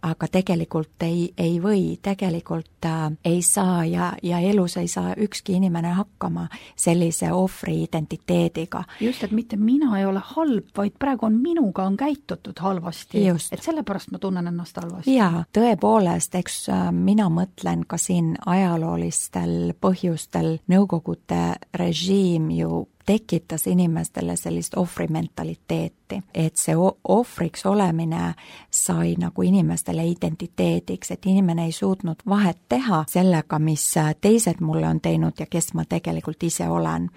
aga tegelikult ei või, tegelikult ei saa ja elus ei saa ükski inimene hakkama sellise ohvri identiteediga. Just, et mitte mina ei ole halb, vaid praegu minuga on käitutud halvasti. Just. Et sellepärast ma tunnen ennast halvasti. Jaa, tõepoolest, eks mina mõtlen ka siin ajaloolistel põhjustel Nõukogude režiim ju tekitas inimestele sellist ohvrimentaliteeti, et see ohvriks olemine sai nagu inimestele identiteediks, et inimene ei suutnud vahet teha sellega, mis teised mulle on teinud ja kes ma tegelikult ise olen.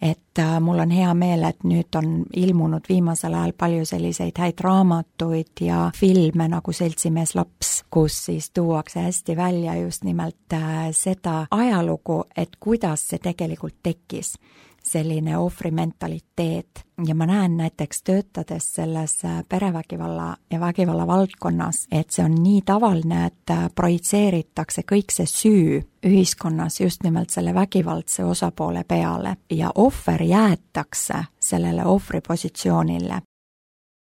Et mul on hea meel, et nüüd on ilmunud viimasel ajal palju selliseid häid raamatuid ja filme nagu Seltsimees laps, kus siis tuuakse hästi välja just nimelt seda ajalugu, et kuidas see tegelikult tekkis, selline ohvrimentaliteet. Ja ma näen näiteks töötades selles perevägivalla ja vägivalla valdkonnas, et see on nii tavaline, et projitseeritakse kõik see süü ühiskonnas just nimelt selle vägivaldse osapoole peale ja ohver jäetakse sellele ohvripositsioonile.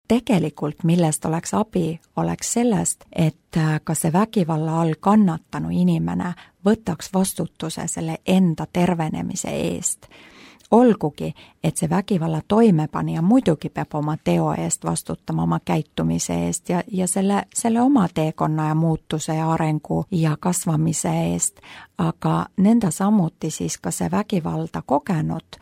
Tegelikult, millest oleks abi, oleks sellest, et ka see vägivalla all kannatanu inimene võtaks vastutuse selle enda tervenemise eest. Olgugi, et see vägivalla toimepanija muidugi peab oma teo eest vastutama, oma käitumise eest ja selle oma teekonna ja muutuse ja arengu ja kasvamise eest, aga nõnda samuti siis ka see vägivalda kogenud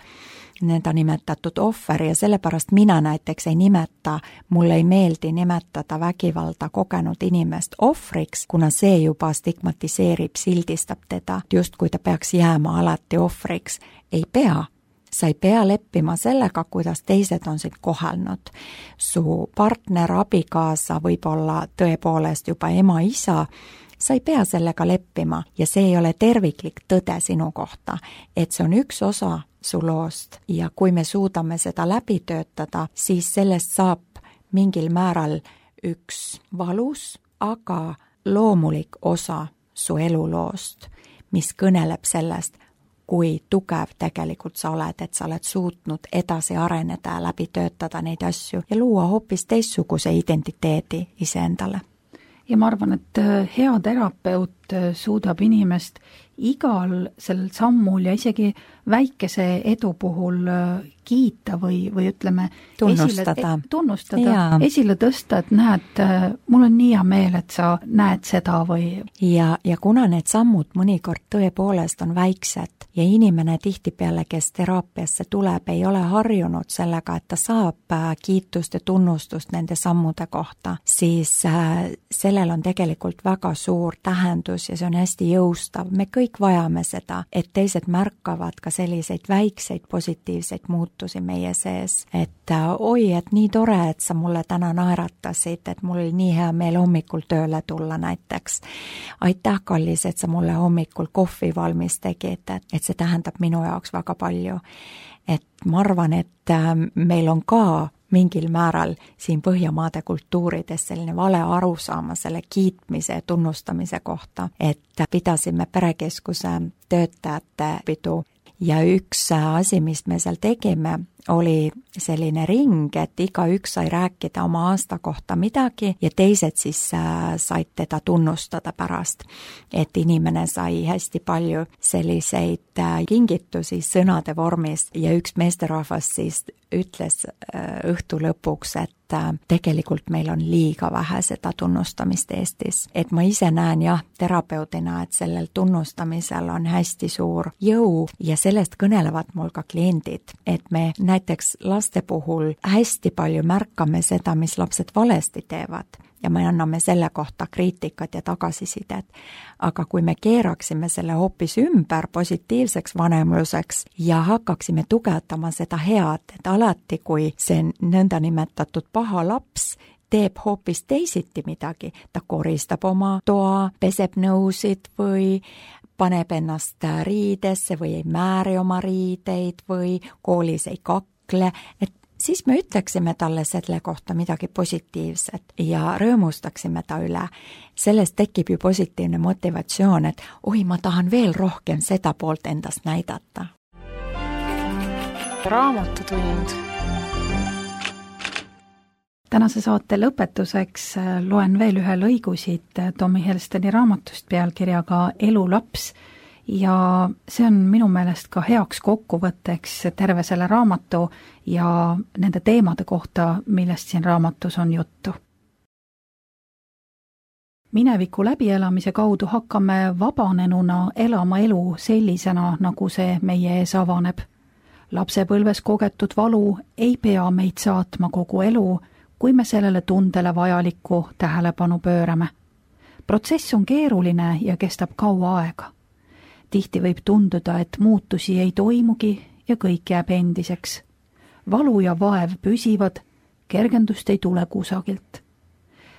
nõnda nimetatud ohver ja sellepärast mina näiteks ei nimeta, mulle ei meeldi nimetada vägivalda kogenud inimest ohvriks, kuna see juba stigmatiseerib, sildistab teda, just kui ta peaks jääma alati ohvriks. Ei pea. Sa ei pea leppima sellega, kuidas teised on sind kohelnud. Su partner, abikaasa, võib-olla tõepoolest juba ema, isa, sa ei pea sellega leppima ja see ei ole terviklik tõde sinu kohta, et see on üks osa su loost ja kui me suudame seda läbi töötada, siis sellest saab mingil määral üks valus, aga loomulik osa su eluloost, mis kõneleb sellest, kui tugev tegelikult sa oled, et sa oled suutnud edasi areneda ja läbi töötada neid asju ja luua hoopis teistsuguse identiteedi iseendale. Ja ma arvan, et hea terapeut suudab inimest igal sellel sammul ja isegi väikese edu puhul kiita või ütleme tunnustada, esile tõsta, et näed, mul on nii hea meel, et sa näed seda või... Ja kuna need sammud mõnikord tõepoolest on väiksed ja inimene tihtipeale, kes teraapiasse tuleb, ei ole harjunud sellega, et ta saab kiitust ja tunnustust nende sammude kohta, siis sellel on tegelikult väga suur tähendus ja see on hästi jõustav. Me kõik vajame seda, et teised märkavad ka selliseid väikseid positiivseid muutusi meie sees, et oi, et nii tore, et sa mulle täna naeratasid, et mul oli nii hea meel hommikul tööle tulla näiteks. Aitäh, kallis, et sa mulle hommikul kohvi valmis tegid, et see tähendab minu jaoks väga palju. Et ma arvan, et meil on ka mingil määral siin Põhjamaade kultuurides selline vale arusaama selle kiitmise ja tunnustamise kohta, et pidasime perekeskuse töötajate pidu ja üks asi, mis me seal tegime, oli selline ring, et igaüks sai rääkida oma aasta kohta midagi ja teised siis said teda tunnustada pärast. Et inimene sai hästi palju selliseid kingitusi sõnade vormis ja üks meesterahvas siis ütles õhtu lõpuks, et tegelikult meil on liiga vähe seda tunnustamist Eestis. Et ma ise näen terapeudina, et sellel tunnustamisel on hästi suur jõu ja sellest kõnelevad mul ka kliendid, et me näiteks laste puhul hästi palju märkame seda, mis lapsed valesti teevad ja me anname selle kohta kriitikat ja tagasisidet. Aga kui me keeraksime selle hoopis ümber positiivseks vanemluseks ja hakkaksime tugevdama seda head, et alati kui see nõnda nimetatud paha laps teeb hoopis teisiti midagi, ta koristab oma toa, peseb nõusid või paneb ennast riidesse või ei määri oma riideid või koolis ei kakle, et siis me ütleksime talle selle kohta midagi positiivset ja rõõmustaksime ta üle. Sellest tekib ju positiivne motivatsioon, et oi, ma tahan veel rohkem seda poolt endast näidata. Raamatutund. Tänase saate lõpetuseks loen veel ühe lõigu siit Tommy Helsteni raamatust pealkirjaga Elulaps ja see on minu meelest ka heaks kokkuvõtteks terve selle raamatu ja nende teemade kohta, millest siin raamatus on juttu. Mineviku läbielamise kaudu hakkame vabanenuna elama elu sellisena, nagu see meie ees avaneb. Lapsepõlves kogetud valu ei pea meid saatma kogu elu, kui me sellele tundele vajalikku tähelepanu pöörame. Protsess on keeruline ja kestab kaua aega. Tihti võib tunduda, et muutusi ei toimugi ja kõik jääb endiseks. Valu ja vaev püsivad, kergendust ei tule kusagilt.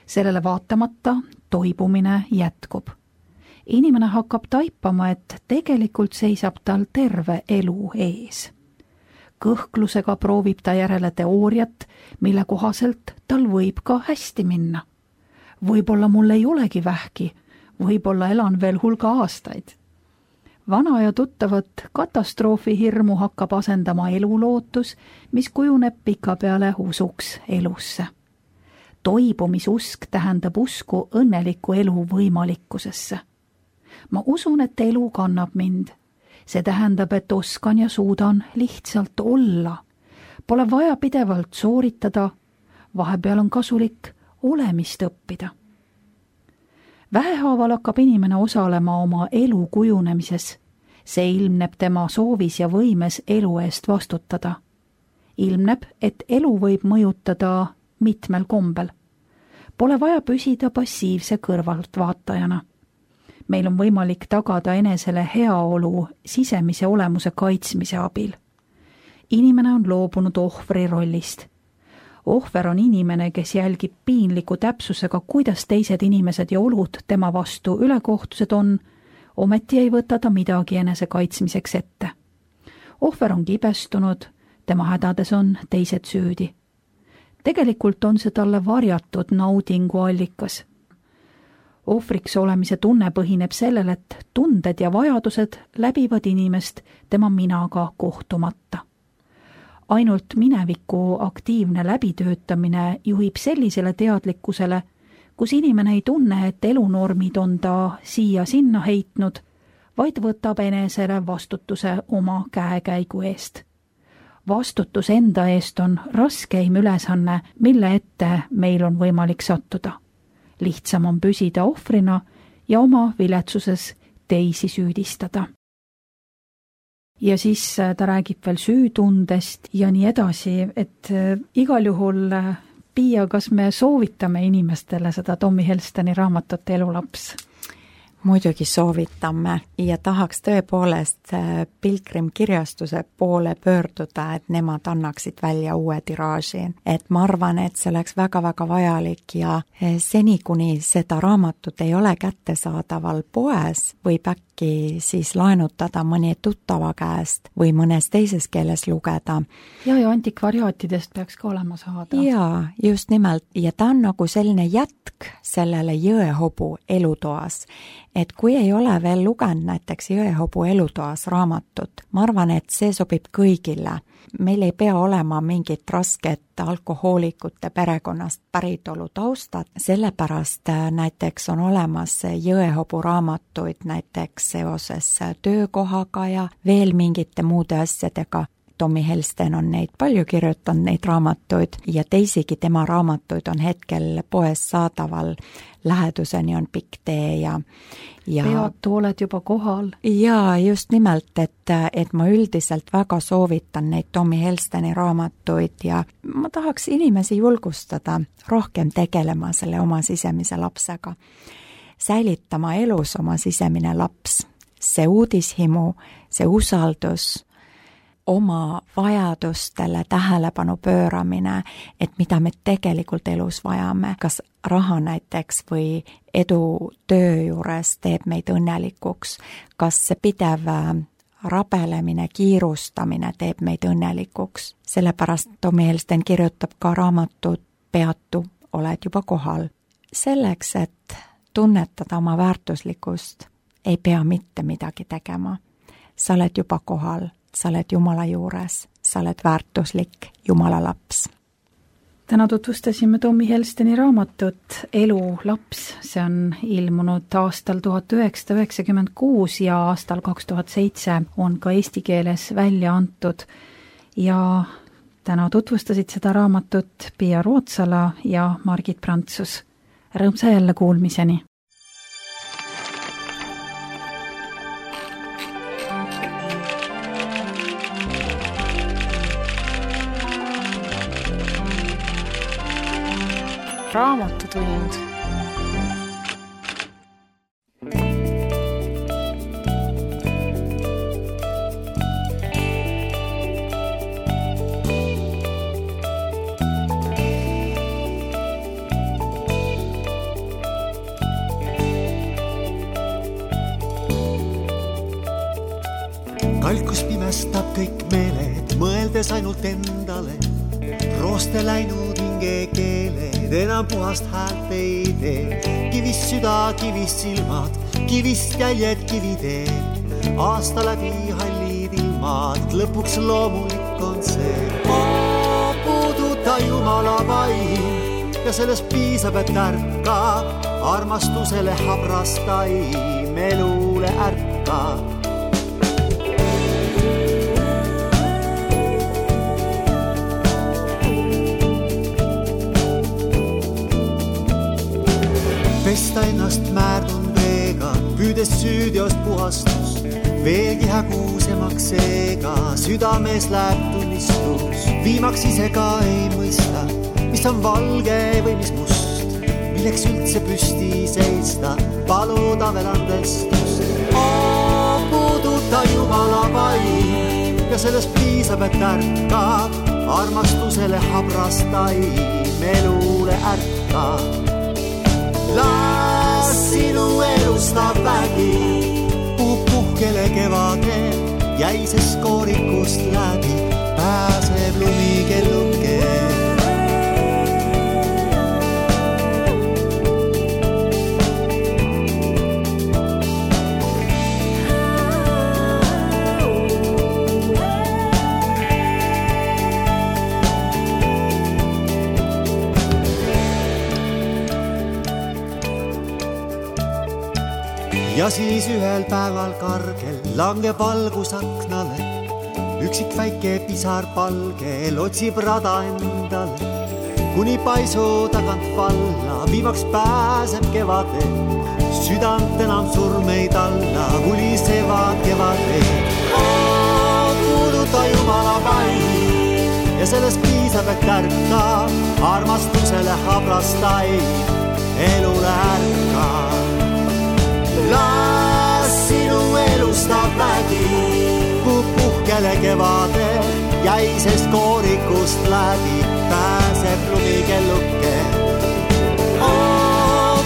Sellele vaatamata toibumine jätkub. Inimene hakkab taipama, et tegelikult seisab tal terve elu ees. Kõhklusega proovib ta järele teooriat, mille kohaselt tal võib ka hästi minna. Võib-olla mul ei olegi vähki, võib-olla elan veel hulga aastaid. Vana ja tuttavat katastroofihirmu hakkab asendama elulootus, mis kujuneb pikapeale usuks elusse. Toibumisusk tähendab usku õnneliku elu võimalikkusesse. Ma usun, et elu kannab mind. See tähendab, et oskan ja suudan lihtsalt olla. Pole vaja pidevalt sooritada, vahepeal on kasulik olemist õppida. Vähehaaval hakkab inimene osalema oma elu kujunemises. See ilmneb tema soovis ja võimes elu eest vastutada. Ilmneb, et elu võib mõjutada mitmel kombel. Pole vaja püsida passiivse kõrvaltvaatajana. Meil on võimalik tagada enesele heaolu sisemise olemuse kaitsmise abil. Inimene on loobunud ohvri rollist. Ohver on inimene, kes jälgib piinliku täpsusega, kuidas teised inimesed ja olud tema vastu ülekohtused on, ometi ei võta ta midagi enese kaitsmiseks ette. Ohver on kibestunud, tema hädades on teised süüdi. Tegelikult on see talle varjatud naudingu allikas. Ohvriks olemise tunne põhineb sellel, et tunded ja vajadused läbivad inimest tema minaga kohtumata. Ainult mineviku aktiivne läbitöötamine juhib sellisele teadlikkusele, kus inimene ei tunne, et elunormid on ta siia-sinna heitnud, vaid võtab enesele vastutuse oma käekäigu eest. Vastutus enda eest on raskeim ülesanne, mille ette meil on võimalik sattuda. Lihtsam on püsida ohvrina ja oma viletsuses teisi süüdistada. Ja siis ta räägib veel süütundest ja nii edasi, et igal juhul, Piia, kas me soovitame inimestele seda Tommy Helsteni raamatut Elulaps? Muidugi soovitame ja tahaks tõepoolest Pilgrimkirjastuse poole pöörduda, et nemad annaksid välja uue tiraaži. Et ma arvan, et see oleks väga-väga vajalik ja seni, kuni seda raamatut ei ole kättesaadaval poes, võib äkki siis laenutada mõni tuttava käest või mõnes teises keeles lugeda. Ja antikvariaatidest peaks ka olema saada. Jaa, just nimelt. Ja ta on nagu selline jätk sellele Jõehobu elutoas. Et kui ei ole veel lugenud näiteks Jõehobu elutoas raamatut, ma arvan, et see sobib kõigile. Meil ei pea olema mingit rasket alkohoolikute perekonnast päritolu taustad, sellepärast näiteks on olemas Jõehobu raamatuid näiteks seoses töökohaga ja veel mingite muude asjadega. Tommy Helsten on neid palju kirjutanud, neid raamatuid ja teisigi tema raamatuid on hetkel poes saadaval. Läheduseni on pikk tee ja Peatu oled juba kohal. Ja just nimelt, et ma üldiselt väga soovitan neid Tommy Helsteni raamatuid ja ma tahaks inimesi julgustada rohkem tegelema selle oma sisemise lapsega. Säilitama elus oma sisemine laps, see uudishimu, see usaldus, oma vajadustele tähelepanu pööramine, et mida me tegelikult elus vajame, kas raha näiteks või edu töö juures teeb meid õnnelikuks, kas see pidev rabelemine, kiirustamine teeb meid õnnelikuks. Sellepärast Tommy Helsten kirjutab ka raamatut Peatu, oled juba kohal. Selleks, et tunnetada oma väärtuslikkust, ei pea mitte midagi tegema. Sa oled juba kohal. Sa oled Jumala juures, sa oled väärtuslik Jumala laps. täna tutvustasime Tommy Helsteni raamatut Elu laps, see on ilmunud aastal 1996 ja aastal 2007 on ka eesti keeles välja antud ja täna tutvustasid seda raamatut Pia Rootsala ja Margit Prantsus. Rõõmsa jälle kuulmiseni! Raamatutund. Kalkus pimestab kõik meeled, mõeldes ainult endale. Rooste läinud hinge keeled, enam puhast häält ei tee. Kivist süda, kivist silmad, kivist jäljed kiviteed. Aasta läbi hallid ilmad, lõpuks loomulik on see. Puuduta Jumala vaim ja sellest piisab, et ärkab. Armastusele habras taim, elule ärkab. Pesta ennast määrdunud veega, püüdes süüdiost puhastus, veelgi hägusemaks seega, südames läheb tunnistus. Viimaks ise ka ei mõista, mis on valge või mis must, milleks üldse püsti seista, paluda veel andestust. Puuduta Jumala vaim ja sellest piisab, et ärkab. Armastusele habras taim, elule ärkab. Las sinu elustav vägi puhkele kevadel, jäises koorikust läbi pääseb lumikelluke. Ja siis ühel päeval kargel langeb valgus aknale. Üksik väike pisar palgel otsib rada endale. Kuni paisu tagant valla viimaks pääseb kevadel. Südant enam surmeid alla, vulisevad kevadel. Kuuluta Jumala vaim ja sellest piisab, et ärkab. Armastusele habras taim, elule ärkab. Las sinu elustav vägi puhkele kevadel, jäisest koorikust läbi pääseb lumikelluke.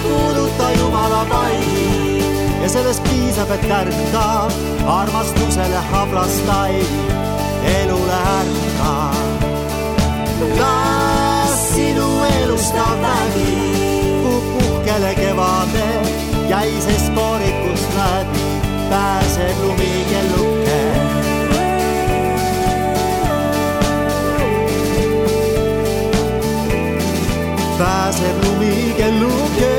Kuuluta Jumala vaim ja sellest piisab, et ärkab. Armastusele habras taim, elule ärkab. Las sinu elustav vägi puhkele kevadel, jäisest koorikust läbi pääseb lumikelluke. Pääseb lumikelluke.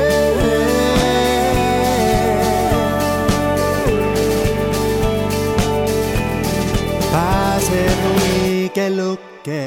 Pääseb lumikelluke.